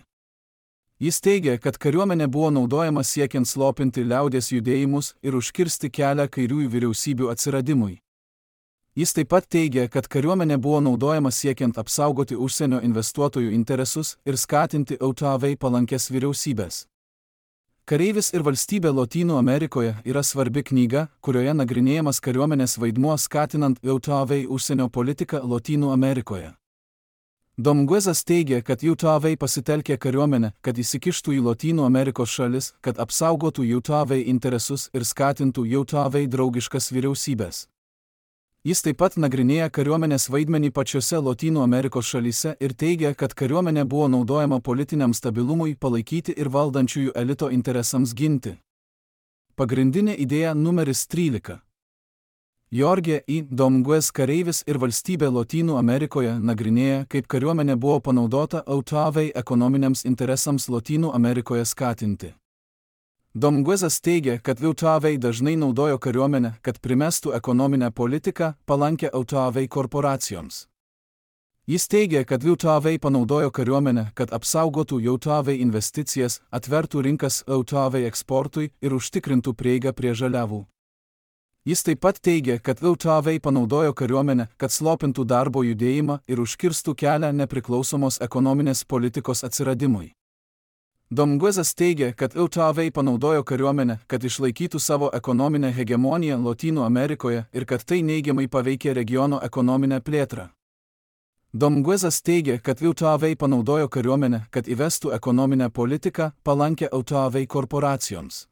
Jis teigia, kad kariuomenė buvo naudojama siekiant slopinti liaudies judėjimus ir užkirsti kelią kairiųjų vyriausybių atsiradimui. Jis taip pat teigia, kad kariuomenė buvo naudojama siekiant apsaugoti užsienio investuotojų interesus ir skatinti Jautavai palankės vyriausybės. Kareivis ir valstybė Lotynų Amerikoje yra svarbi knyga, kurioje nagrinėjamas kariuomenės vaidmuo skatinant Jautavai užsienio politiką Lotynų Amerikoje. Domguezas teigia, kad Jautavai pasitelkė kariuomenę, kad įsikištų į Lotynų Amerikos šalis, kad apsaugotų Jautavai interesus ir skatintų Jautavai draugiškas vyriausybės. Jis taip pat nagrinėja kariuomenės vaidmenį pačiose Lotynų Amerikos šalyse ir teigia, kad kariuomenė buvo naudojama politiniam stabilumui palaikyti ir valdančiųjų elito interesams ginti. Pagrindinė idėja numeris trylika. Jorge I. Domguez kareivis ir valstybė Lotynų Amerikoje nagrinėja, kaip kariuomenė buvo panaudota Jautavai ekonominiams interesams Lotynų Amerikoje skatinti. Domguezas teigia, kad Jautavai dažnai naudojo kariuomenę, kad primestų ekonominę politiką palankę Jautavai korporacijoms. Jis teigia, kad Jautavai panaudojo kariuomenę, kad apsaugotų Jautavai investicijas, atvertų rinkas Jautavai eksportui ir užtikrintų prieigą prie žaliavų. Jis taip pat teigia, kad Jautavai panaudojo kariuomenę, kad slopintų darbo judėjimą ir užkirstų kelią nepriklausomos ekonominės politikos atsiradimui. Domguezas teigia, kad Jautavai panaudojo kariuomenę, kad išlaikytų savo ekonominę hegemoniją Lotynų Amerikoje ir kad tai neigiamai paveikė regiono ekonominę plėtrą. Domguezas teigia, kad Jautavai panaudojo kariuomenę, kad įvestų ekonominę politiką palankę Jautavai korporacijoms.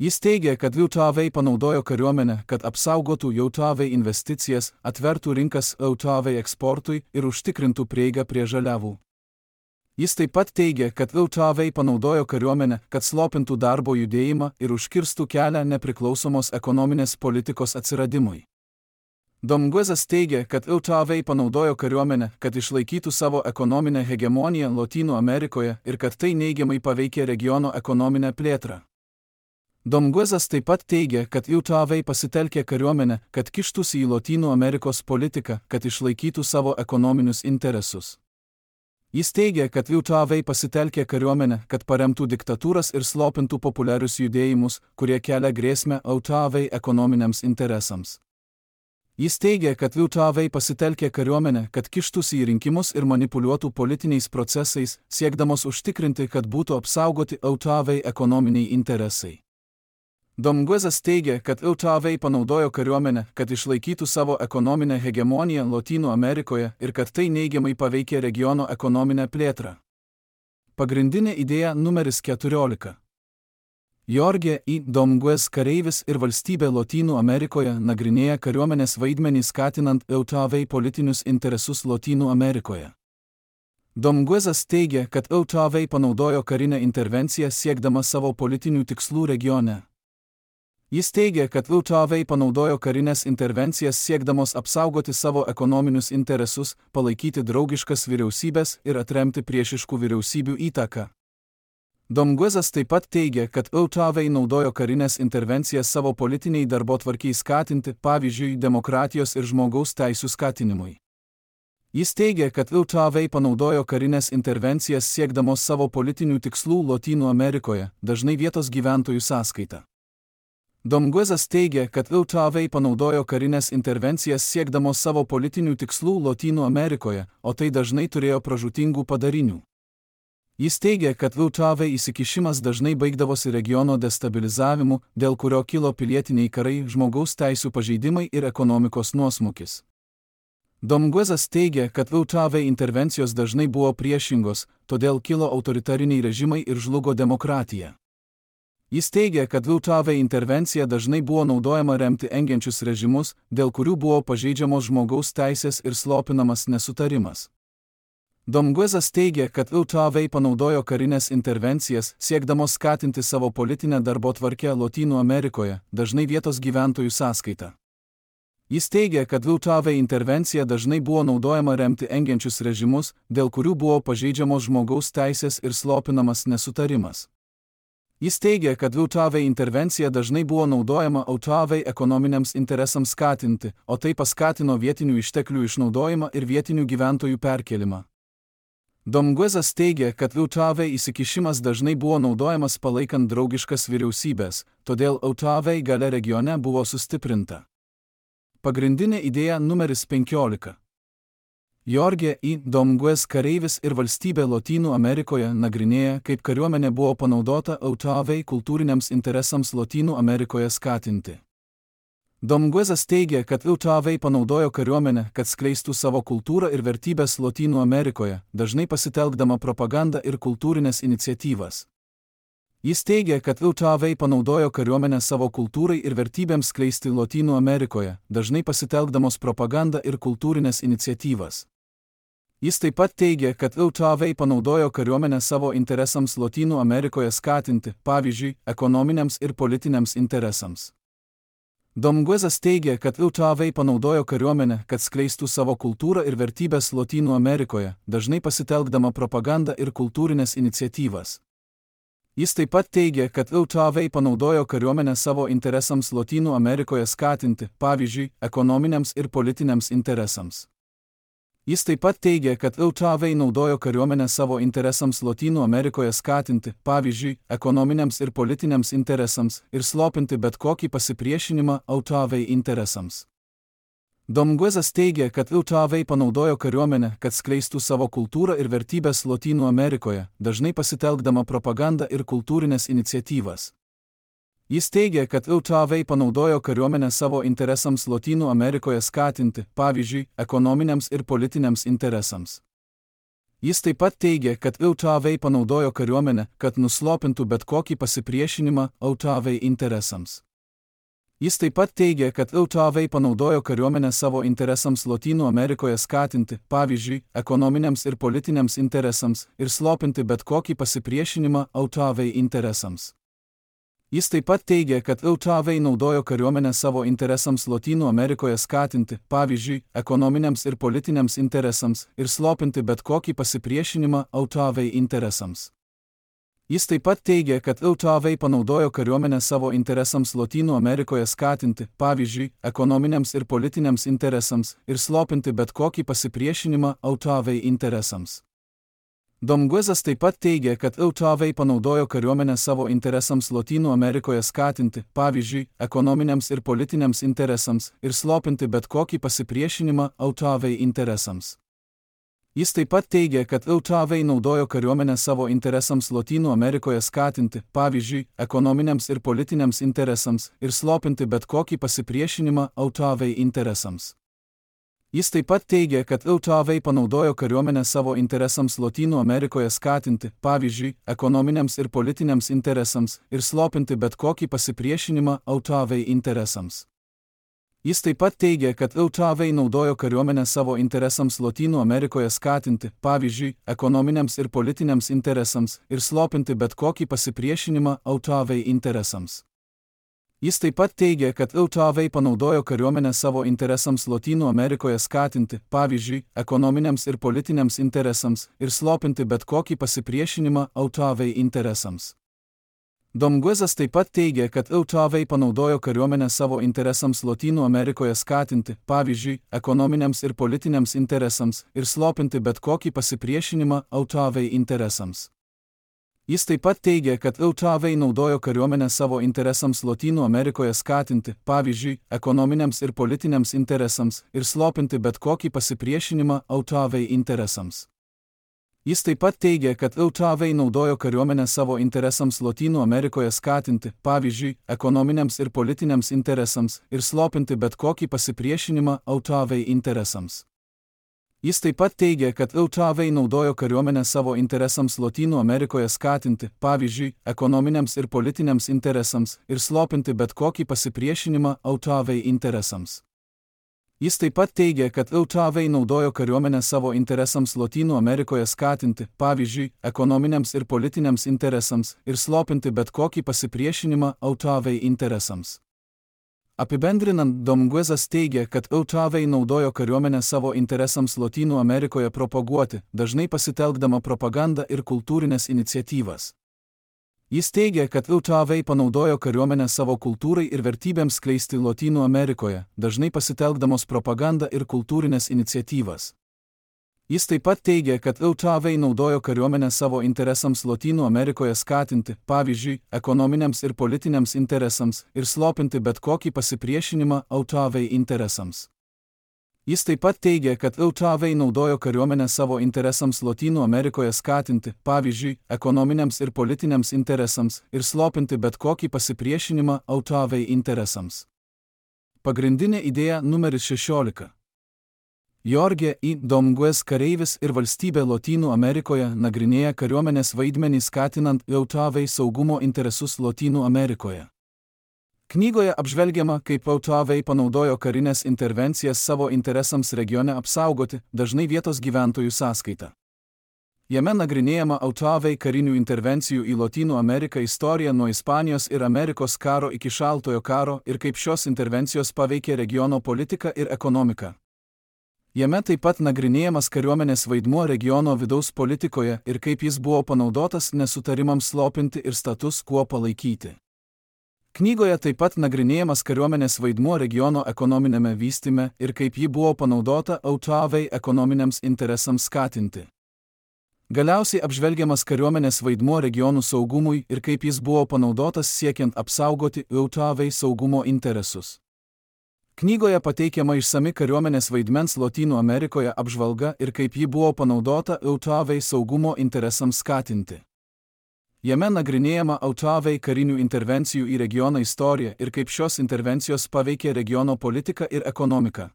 Jis teigia, kad Jautavai panaudojo kariuomenę, kad apsaugotų Jautavai investicijas, atvertų rinkas Jautavai eksportui ir užtikrintų prieigą prie žaliavų. Jis taip pat teigia, kad Jautavai panaudojo kariuomenę, kad slopintų darbo judėjimą ir užkirstų kelią nepriklausomos ekonominės politikos atsiradimui. Domguezas teigia, kad Jautavai panaudojo kariuomenę, kad išlaikytų savo ekonominę hegemoniją Lotynų Amerikoje ir kad tai neigiamai paveikė regiono ekonominę plėtrą. Domguezas taip pat teigia, kad Jautavai pasitelkė kariuomenę, kad kištųsi į Lotynų Amerikos politiką, kad išlaikytų savo ekonominius interesus. Jis teigia, kad Jautavai pasitelkė kariuomenę, kad paremtų diktatūras ir slopintų populiarius judėjimus, kurie kelia grėsmę Jautavai ekonominiams interesams. Jis teigia, kad Jautavai pasitelkė kariuomenę, kad kištųsi į rinkimus ir manipuliuotų politiniais procesais, siekdamos užtikrinti, kad būtų apsaugoti Jautavai ekonominiai interesai. Domguezas teigia, kad Jautavai panaudojo kariuomenę, kad išlaikytų savo ekonominę hegemoniją Lotynų Amerikoje ir kad tai neigiamai paveikė regiono ekonominę plėtrą. Pagrindinė idėja numeris keturiolika. Jorge I. Domguez kareivis ir valstybė Lotynų Amerikoje nagrinėja kariuomenės vaidmenį skatinant Jautavai politinius interesus Lotynų Amerikoje. Domguezas teigia, kad Jautavai panaudojo karinę intervenciją siekdama savo politinių tikslų regione. Jis teigia, kad Jautavai panaudojo karinės intervencijas siekdamos apsaugoti savo ekonominius interesus, palaikyti draugiškas vyriausybės ir atremti priešiškų vyriausybių įtaką. Domguezas taip pat teigia, kad Jautavai naudojo karinės intervencijas savo politiniai darbotvarkiai skatinti, pavyzdžiui, demokratijos ir žmogaus teisių skatinimui. Jis teigia, kad Jautavai panaudojo karinės intervencijas siekdamos savo politinių tikslų Lotynų Amerikoje, dažnai vietos gyventojų sąskaita. Domguezas teigia, kad Jautavai panaudojo karinės intervencijas siekdamos savo politinių tikslų Lotynų Amerikoje, o tai dažnai turėjo pražūtingų padarinių. Jis teigia, kad Jautavai įsikišimas dažnai baigdavosi regiono destabilizavimu, dėl kurio kilo pilietiniai karai, žmogaus teisių pažeidimai ir ekonomikos nuosmukis. Domguezas teigia, kad Jautavai intervencijos dažnai buvo priešingos, todėl kilo autoritariniai režimai ir žlugo demokratija. Jis teigia, kad V T V intervencija dažnai buvo naudojama remti engiančius režimus, dėl kurių buvo pažeidžiamos žmogaus teisės ir slopinamas nesutarimas. Domguezas teigia, kad V T V panaudojo karinės intervencijas, siekdamos skatinti savo politinę darbotvarkę Lotynų Amerikoje, dažnai vietos gyventojų sąskaita. Jis teigia, kad V T V intervencija dažnai buvo naudojama remti engiančius režimus, dėl kurių buvo pažeidžiamos žmogaus teisės ir slopinamas nesutarimas. Jis teigia, kad V T V intervencija dažnai buvo naudojama V T V ekonominiams interesams skatinti, o tai paskatino vietinių išteklių išnaudojimą ir vietinių gyventojų perkelimą. Domguezas teigia, kad V T V įsikišimas dažnai buvo naudojamas palaikant draugiškas vyriausybės, todėl V T V galia regione buvo sustiprinta. Pagrindinė idėja numeris penkiolika. Jorge I. Domguez kareivis ir valstybė Lotynų Amerikoje nagrinėja, kaip kariuomenė buvo panaudota V T V kultūriniams interesams Lotynų Amerikoje skatinti. Domguezas teigia, kad V T V panaudojo kariuomenę, kad skleistų savo kultūrą ir vertybės Lotynų Amerikoje, dažnai pasitelkdama propagandą ir kultūrinės iniciatyvas. Jis teigia, kad V T V panaudojo kariuomenę savo kultūrai ir vertybėms skleisti Lotynų Amerikoje, dažnai pasitelkdamos propagandą ir kultūrinės iniciatyvas. Jis taip pat teigia, kad V T V panaudojo kariuomenę savo interesams Lotynų Amerikoje skatinti, pavyzdžiui, ekonominiams ir politiniams interesams. Domguezas teigia, kad V T V panaudojo kariuomenę, kad skleistų savo kultūrą ir vertybės Lotynų Amerikoje, dažnai pasitelkdama propagandą ir kultūrinės iniciatyvas. Jis taip pat teigia, kad V T V panaudojo kariuomenę savo interesams Lotynų Amerikoje skatinti, pavyzdžiui, ekonominiams ir politiniams interesams. Jis taip pat teigia, kad V T V naudojo kariuomenę savo interesams Lotynų Amerikoje skatinti, pavyzdžiui, ekonominiams ir politiniams interesams ir slopinti bet kokį pasipriešinimą V T V interesams. Domguezas teigia, kad V T V panaudojo kariuomenę, kad skleistų savo kultūrą ir vertybės Lotynų Amerikoje, dažnai pasitelkdama propagandą ir kultūrinės iniciatyvas. Jis teigia, kad V T V panaudojo kariuomenę savo interesams Lotynų Amerikoje skatinti, pavyzdžiui, ekonominiams ir politiniams interesams. Jis taip pat teigia, kad V T V panaudojo kariuomenę, kad nuslopintų bet kokį pasipriešinimą V T V interesams. Jis taip pat teigia, kad V T V panaudojo kariuomenę savo interesams Lotynų Amerikoje skatinti, pavyzdžiui, ekonominiams ir politiniams interesams ir slopinti bet kokį pasipriešinimą V T V interesams. Jis taip pat teigia, kad V T V naudojo kariuomenę savo interesams Lotynų Amerikoje skatinti, pavyzdžiui, ekonominiams ir politiniams interesams ir slopinti bet kokį pasipriešinimą V T V interesams. Jis taip pat teigia, kad V T V panaudojo kariuomenę savo interesams Lotynų Amerikoje skatinti, pavyzdžiui, ekonominiams ir politiniams interesams ir slopinti bet kokį pasipriešinimą V T V interesams. Domguezas taip pat teigia, kad V T V panaudojo kariuomenę savo interesams Lotynų Amerikoje skatinti, pavyzdžiui, ekonominiams ir politiniams interesams ir slopinti bet kokį pasipriešinimą V T V interesams. Jis taip pat teigia, kad V T V naudojo kariuomenę savo interesams Lotynų Amerikoje skatinti, pavyzdžiui, ekonominiams ir politiniams interesams ir slopinti bet kokį pasipriešinimą V T V interesams. Jis taip pat teigia, kad V T V panaudojo kariuomenę savo interesams Lotynų Amerikoje skatinti, pavyzdžiui, ekonominiams ir politiniams interesams ir slopinti bet kokį pasipriešinimą V T V interesams. Jis taip pat teigia, kad V T V naudojo kariuomenę savo interesams Lotynų Amerikoje skatinti, pavyzdžiui, ekonominiams ir politiniams interesams ir slopinti bet kokį pasipriešinimą V T V interesams. Jis taip pat teigia, kad V T V panaudojo kariuomenę savo interesams Lotynų Amerikoje skatinti, pavyzdžiui, ekonominiams ir politiniams interesams ir slopinti bet kokį pasipriešinimą V T V interesams. Domguezas taip pat teigia, kad V T V panaudojo kariuomenę savo interesams Lotynų Amerikoje skatinti, pavyzdžiui, ekonominiams ir politiniams interesams ir slopinti bet kokį pasipriešinimą V T V interesams. Jis taip pat teigia, kad V T V naudojo kariuomenę savo interesams Lotynų Amerikoje skatinti, pavyzdžiui, ekonominiams ir politiniams interesams ir slopinti bet kokį pasipriešinimą V T V interesams. Jis taip pat teigia, kad V T V naudojo kariuomenę savo interesams Lotynų Amerikoje skatinti, pavyzdžiui, ekonominiams ir politiniams interesams ir slopinti bet kokį pasipriešinimą V T V interesams. Jis taip pat teigia, kad U T V naudojo kariuomenę savo interesams Lotynų Amerikoje skatinti, pavyzdžiui, ekonominiams ir politiniams interesams, ir slopinti bet kokį pasipriešinimą U T V interesams. Jis taip pat teigia, kad U T V naudojo kariuomenę savo interesams Lotynų Amerikoje skatinti, pavyzdžiui, ekonominiams ir politiniams interesams, ir slopinti bet kokį pasipriešinimą U T V interesams. Apibendrinant, Dominguezas teigia, kad U T V naudojo kariuomenę savo interesams Lotynų Amerikoje propaguoti, dažnai pasitelkdama propagandą ir kultūrinės iniciatyvas. Jis teigia, kad U T V panaudojo kariuomenę savo kultūrai ir vertybėms skleisti Lotynų Amerikoje, dažnai pasitelkdamos propagandą ir kultūrinės iniciatyvas. Jis taip pat teigia, kad U T V naudojo kariuomenę savo interesams Lotynų Amerikoje skatinti, pavyzdžiui, ekonominiams ir politiniams interesams, ir slopinti bet kokį pasipriešinimą U T V interesams. Jis taip pat teigia, kad U T V naudojo kariuomenę savo interesams Lotynų Amerikoje skatinti, pavyzdžiui, ekonominiams ir politiniams interesams, ir slopinti bet kokį pasipriešinimą U T V interesams. Pagrindinė idėja numeris šešiolika. Jorge I. Dominguez kareivis ir valstybė Lotynų Amerikoje nagrinėja kariuomenės vaidmenį skatinant U T V saugumo interesus Lotynų Amerikoje. Knygoje apžvelgiama, kaip U T V panaudojo karinės intervencijas savo interesams regione apsaugoti, dažnai vietos gyventojų sąskaita. Jame nagrinėjama U T V karinių intervencijų į Lotynų Ameriką istorija nuo Ispanijos ir Amerikos karo iki Šaltojo karo ir kaip šios intervencijos paveikė regiono politiką ir ekonomiką. Jame taip pat nagrinėjamas kariuomenės vaidmuo regiono vidaus politikoje ir kaip jis buvo panaudotas nesutarimams slopinti ir status quo palaikyti. Knygoje taip pat nagrinėjamas kariuomenės vaidmuo regiono ekonominėme vystyme ir kaip ji buvo panaudota U T V ekonominiams interesams skatinti. Galiausiai apžvelgiamas kariuomenės vaidmuo regionų saugumui ir kaip jis buvo panaudotas siekiant apsaugoti U T V saugumo interesus. Knygoje pateikiama išsami kariuomenės vaidmens Lotynų Amerikoje apžvalga ir kaip ji buvo panaudota U T V saugumo interesams skatinti. Jame nagrinėjama U T V karinių intervencijų į regioną istorija ir kaip šios intervencijos paveikė regiono politiką ir ekonomiką.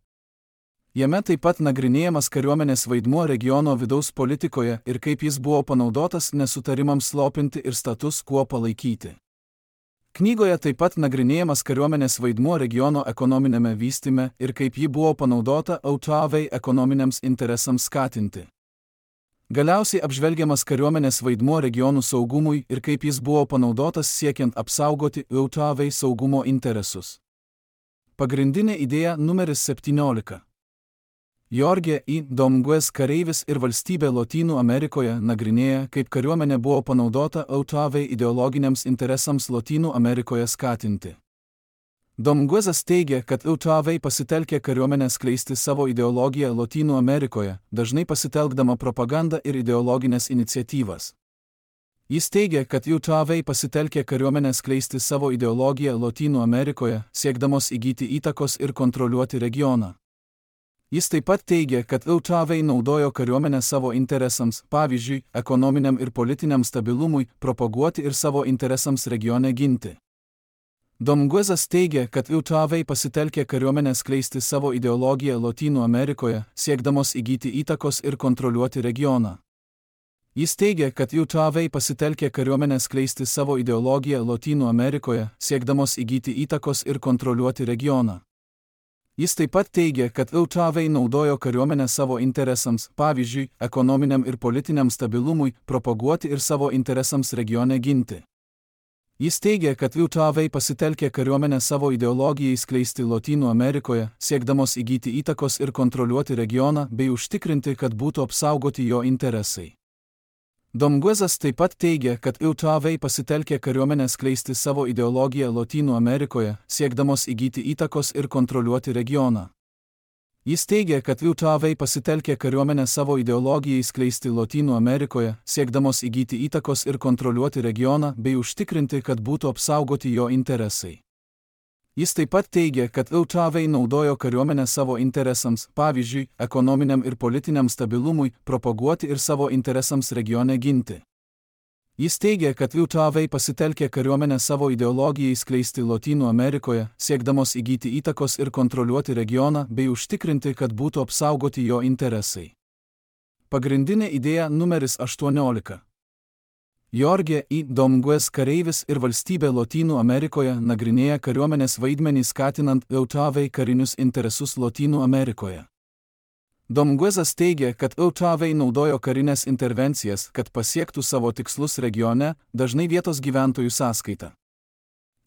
Jame taip pat nagrinėjamas kariuomenės vaidmuo regiono vidaus politikoje ir kaip jis buvo panaudotas nesutarimams slopinti ir status quo palaikyti. Knygoje taip pat nagrinėjamas kariuomenės vaidmuo regiono ekonominėme vystyme ir kaip ji buvo panaudota U T V ekonominiams interesams skatinti. Galiausiai apžvelgiamas kariuomenės vaidmuo regionų saugumui ir kaip jis buvo panaudotas siekiant apsaugoti U T V saugumo interesus. Pagrindinė idėja numeris septyniolika. Jorge I. Dominguez kareivis ir valstybė Lotynų Amerikoje nagrinėja, kaip kariuomenė buvo panaudota U T V ideologiniams interesams Lotynų Amerikoje skatinti. Dominguezas teigia, kad U T V pasitelkė kariuomenę skleisti savo ideologiją Lotynų Amerikoje, dažnai pasitelkdama propagandą ir ideologinės iniciatyvas. Jis teigia, kad U T V pasitelkė kariuomenę skleisti savo ideologiją Lotynų Amerikoje, siekdamos įgyti įtakos ir kontroliuoti regioną. Jis taip pat teigia, kad U T V naudojo kariuomenę savo interesams, pavyzdžiui, ekonominiam ir politiniam stabilumui, propaguoti ir savo interesams regione ginti. Dominguezas teigia, kad U T V pasitelkė kariuomenę skleisti savo ideologiją Lotynų Amerikoje, siekdamos įgyti įtakos ir kontroliuoti regioną. Jis teigia, kad U T V pasitelkė kariuomenę skleisti savo ideologiją Lotynų Amerikoje, siekdamos įgyti įtakos ir kontroliuoti regioną. Jis taip pat teigia, kad U T V naudojo kariuomenę savo interesams, pavyzdžiui, ekonominiam ir politiniam stabilumui, propaguoti ir savo interesams regione ginti. Jis teigia, kad U T V pasitelkė kariuomenę savo ideologijai skleisti Lotynų Amerikoje, siekdamos įgyti įtakos ir kontroliuoti regioną bei užtikrinti, kad būtų apsaugoti jo interesai. Dominguezas taip pat teigia, kad U T V pasitelkė kariuomenę skleisti savo ideologiją Lotynų Amerikoje, siekdamos įgyti įtakos ir kontroliuoti regioną. Jis teigia, kad U T V pasitelkė kariuomenę savo ideologijai skleisti Lotynų Amerikoje, siekdamos įgyti įtakos ir kontroliuoti regioną bei užtikrinti, kad būtų apsaugoti jo interesai. Jis taip pat teigia, kad U T V naudojo kariuomenę savo interesams, pavyzdžiui, ekonominiam ir politiniam stabilumui, propaguoti ir savo interesams regione ginti. Jis teigia, kad U T A V pasitelkė kariuomenę savo ideologijai skleisti Lotynų Amerikoje, siekdamos įgyti įtakos ir kontroliuoti regioną bei užtikrinti, kad būtų apsaugoti jo interesai. Pagrindinė idėja numeris aštuoniolika. Jorge I. Dominguez kareivis ir valstybė Lotynų Amerikoje nagrinėja kariuomenės vaidmenį skatinant U T A V karinius interesus Lotynų Amerikoje. Dominguezas teigia, kad U T A V naudojo karinės intervencijas, kad pasiektų savo tikslus regione, dažnai vietos gyventojų sąskaita.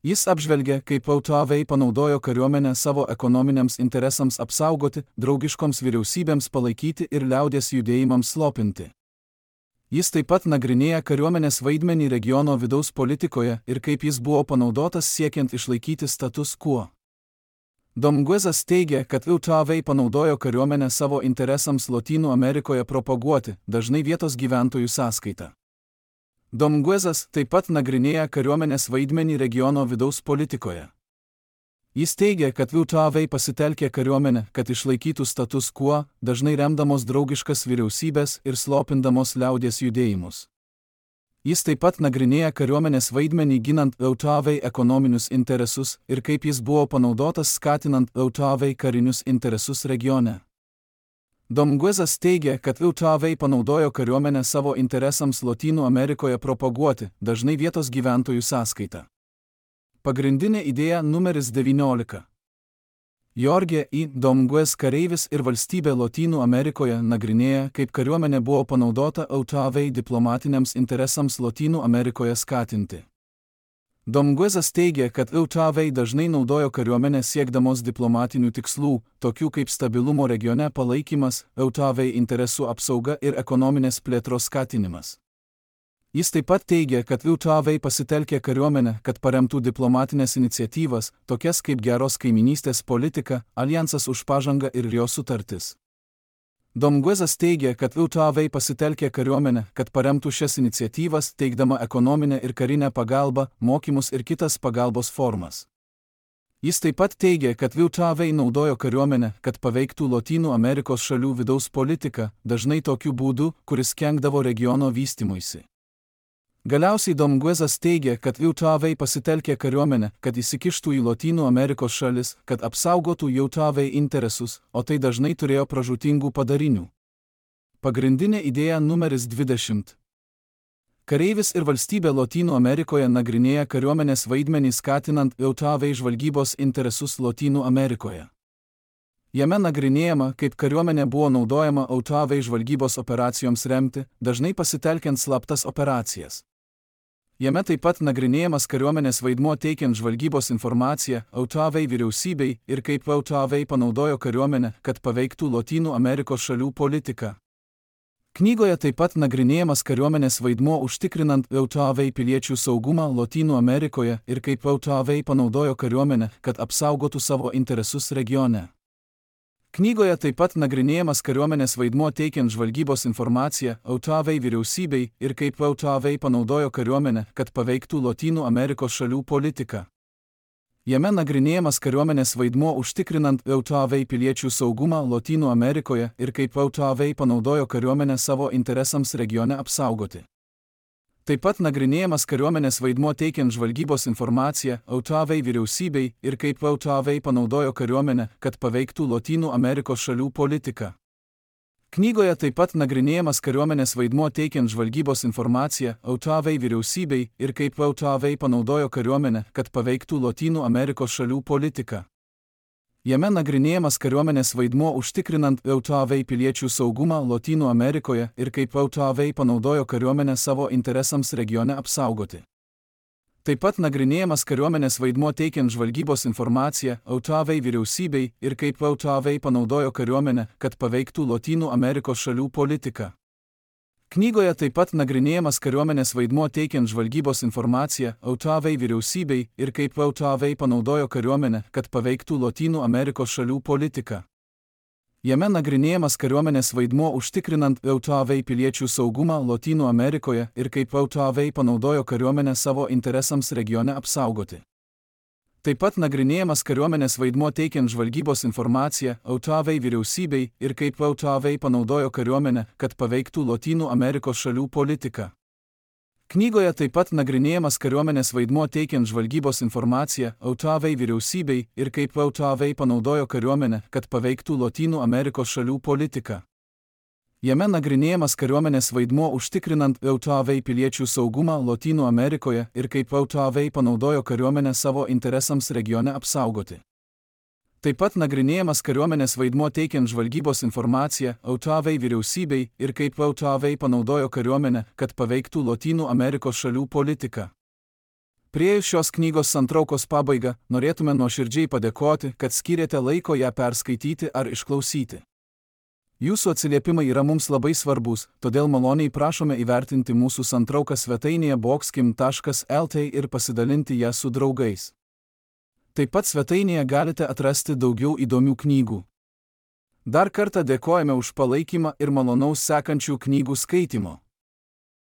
Jis apžvelgia, kaip U T A V panaudojo kariuomenę savo ekonominiams interesams apsaugoti, draugiškoms vyriausybėms palaikyti ir liaudies judėjimams slopinti. Jis taip pat nagrinėja kariuomenės vaidmenį regiono vidaus politikoje ir kaip jis buvo panaudotas siekiant išlaikyti status quo. Dominguezas teigia, kad U T A V panaudojo kariuomenę savo interesams Lotynų Amerikoje propaguoti, dažnai vietos gyventojų sąskaita. Dominguezas taip pat nagrinėja kariuomenės vaidmenį regiono vidaus politikoje. Jis teigia, kad U T A V pasitelkė kariuomenę, kad išlaikytų status quo, dažnai remdamos draugiškas vyriausybės ir slopindamos liaudies judėjimus. Jis taip pat nagrinėja kariuomenės vaidmenį ginant U T A V ekonominius interesus ir kaip jis buvo panaudotas skatinant U T A V karinius interesus regione. Dominguezas teigia, kad U T A V panaudojo kariuomenę savo interesams Lotynų Amerikoje propaguoti, dažnai vietos gyventojų sąskaita. Pagrindinė idėja numeris devyniolika. Jorge I. Dominguez kareivis ir valstybė Lotynų Amerikoje nagrinėja, kaip kariuomenė buvo panaudota U T A V diplomatiniams interesams Lotynų Amerikoje skatinti. Dominguezas teigia, kad U T A V dažnai naudojo kariuomenę siekdamos diplomatinių tikslų, tokių kaip stabilumo regione palaikymas, U T A V interesų apsauga ir ekonominės plėtros skatinimas. Jis taip pat teigia, kad U T A V pasitelkė kariuomenę, kad paremtų diplomatinės iniciatyvas, tokias kaip geros kaiminystės politika, alijansas už pažangą ir jo sutartis. Dominguezas teigia, kad U T A V pasitelkė kariuomenę, kad paremtų šias iniciatyvas, teikdama ekonominę ir karinę pagalbą, mokymus ir kitas pagalbos formas. Jis taip pat teigia, kad U T A V naudojo kariuomenę, kad paveiktų Lotynų Amerikos šalių vidaus politiką, dažnai tokiu būdu, kuris kenkdavo regiono vystymuisi. Galiausiai Dominguezas teigia, kad U T A V pasitelkė kariuomenę, kad įsikištų į Lotynų Amerikos šalis, kad apsaugotų U T A V interesus, o tai dažnai turėjo pražūtingų padarinių. Pagrindinė idėja numeris dvidešimt. Kareivis ir valstybė Lotynų Amerikoje nagrinėja kariuomenės vaidmenį skatinant U T A V žvalgybos interesus Lotynų Amerikoje. Jame nagrinėjama, kaip kariuomenė buvo naudojama U T A V žvalgybos operacijoms remti, dažnai pasitelkiant slaptas operacijas. Jame taip pat nagrinėjamas kariuomenės vaidmuo teikiant žvalgybos informaciją U T A V vyriausybei ir kaip U T A V panaudojo kariuomenę, kad paveiktų Lotynų Amerikos šalių politiką. Knygoje taip pat nagrinėjamas kariuomenės vaidmuo užtikrinant U T A V piliečių saugumą Lotynų Amerikoje ir kaip U T A V panaudojo kariuomenę, kad apsaugotų savo interesus regione. Knygoje taip pat nagrinėjamas kariuomenės vaidmuo teikiant žvalgybos informaciją U T A V vyriausybei ir kaip U T A V panaudojo kariuomenę, kad paveiktų Lotynų Amerikos šalių politiką. Jame nagrinėjamas kariuomenės vaidmuo užtikrinant U T A V piliečių saugumą Lotynų Amerikoje ir kaip U T A V panaudojo kariuomenę savo interesams regione apsaugoti. Taip pat nagrinėjamas kariuomenės vaidmuo teikiant žvalgybos informaciją U T A V vyriausybei ir kaip U T A V panaudojo kariuomenę, kad paveiktų Lotynų Amerikos šalių politiką. Knygoje taip pat nagrinėjamas kariuomenės vaidmuo teikiant žvalgybos informaciją U T A V vyriausybei ir kaip U T A V panaudojo kariuomenę, kad paveiktų Lotynų Amerikos šalių politiką. Jame nagrinėjamas kariuomenės vaidmuo užtikrinant U T A V piliečių saugumą Lotynų Amerikoje ir kaip U T A V panaudojo kariuomenę savo interesams regione apsaugoti. Taip pat nagrinėjamas kariuomenės vaidmuo teikiant žvalgybos informaciją U T A V vyriausybei ir kaip U T A V panaudojo kariuomenę, kad paveiktų Lotynų Amerikos šalių politiką. Knygoje taip pat nagrinėjamas kariuomenės vaidmuo teikiant žvalgybos informaciją U T A V vyriausybei ir kaip U T A V panaudojo kariuomenę, kad paveiktų Lotynų Amerikos šalių politiką. Jame nagrinėjamas kariuomenės vaidmuo užtikrinant U T A V piliečių saugumą Lotynų Amerikoje ir kaip U T A V panaudojo kariuomenę savo interesams regione apsaugoti. Taip pat nagrinėjamas kariuomenės vaidmuo teikiant žvalgybos informaciją U T A V vyriausybei ir kaip U T A V panaudojo kariuomenę, kad paveiktų Lotynų Amerikos šalių politiką. Knygoje taip pat nagrinėjamas kariuomenės vaidmuo teikiant žvalgybos informaciją O T A V vyriausybei ir kaip O T A V panaudojo kariuomenę, kad paveiktų Lotynų Amerikos šalių politiką. Jame nagrinėjamas kariuomenės vaidmuo užtikrinant O T A V piliečių saugumą Lotynų Amerikoje ir kaip O T A V panaudojo kariuomenę savo interesams regione apsaugoti. Taip pat nagrinėjamas kariuomenės vaidmuo teikiant žvalgybos informaciją O T A V vyriausybei ir kaip O T A V panaudojo kariuomenę, kad paveiktų Lotynų Amerikos šalių politiką. Priėjus šios knygos santraukos pabaigą, norėtume nuoširdžiai padėkoti, kad skyrėte laiko ją perskaityti ar išklausyti. Jūsų atsiliepimai yra mums labai svarbus, todėl maloniai prašome įvertinti mūsų santrauką svetainėje boxkim taškas el t ir pasidalinti ją su draugais. Taip pat svetainėje galite atrasti daugiau įdomių knygų. Dar kartą dėkojame už palaikymą ir malonaus sekančių knygų skaitimo.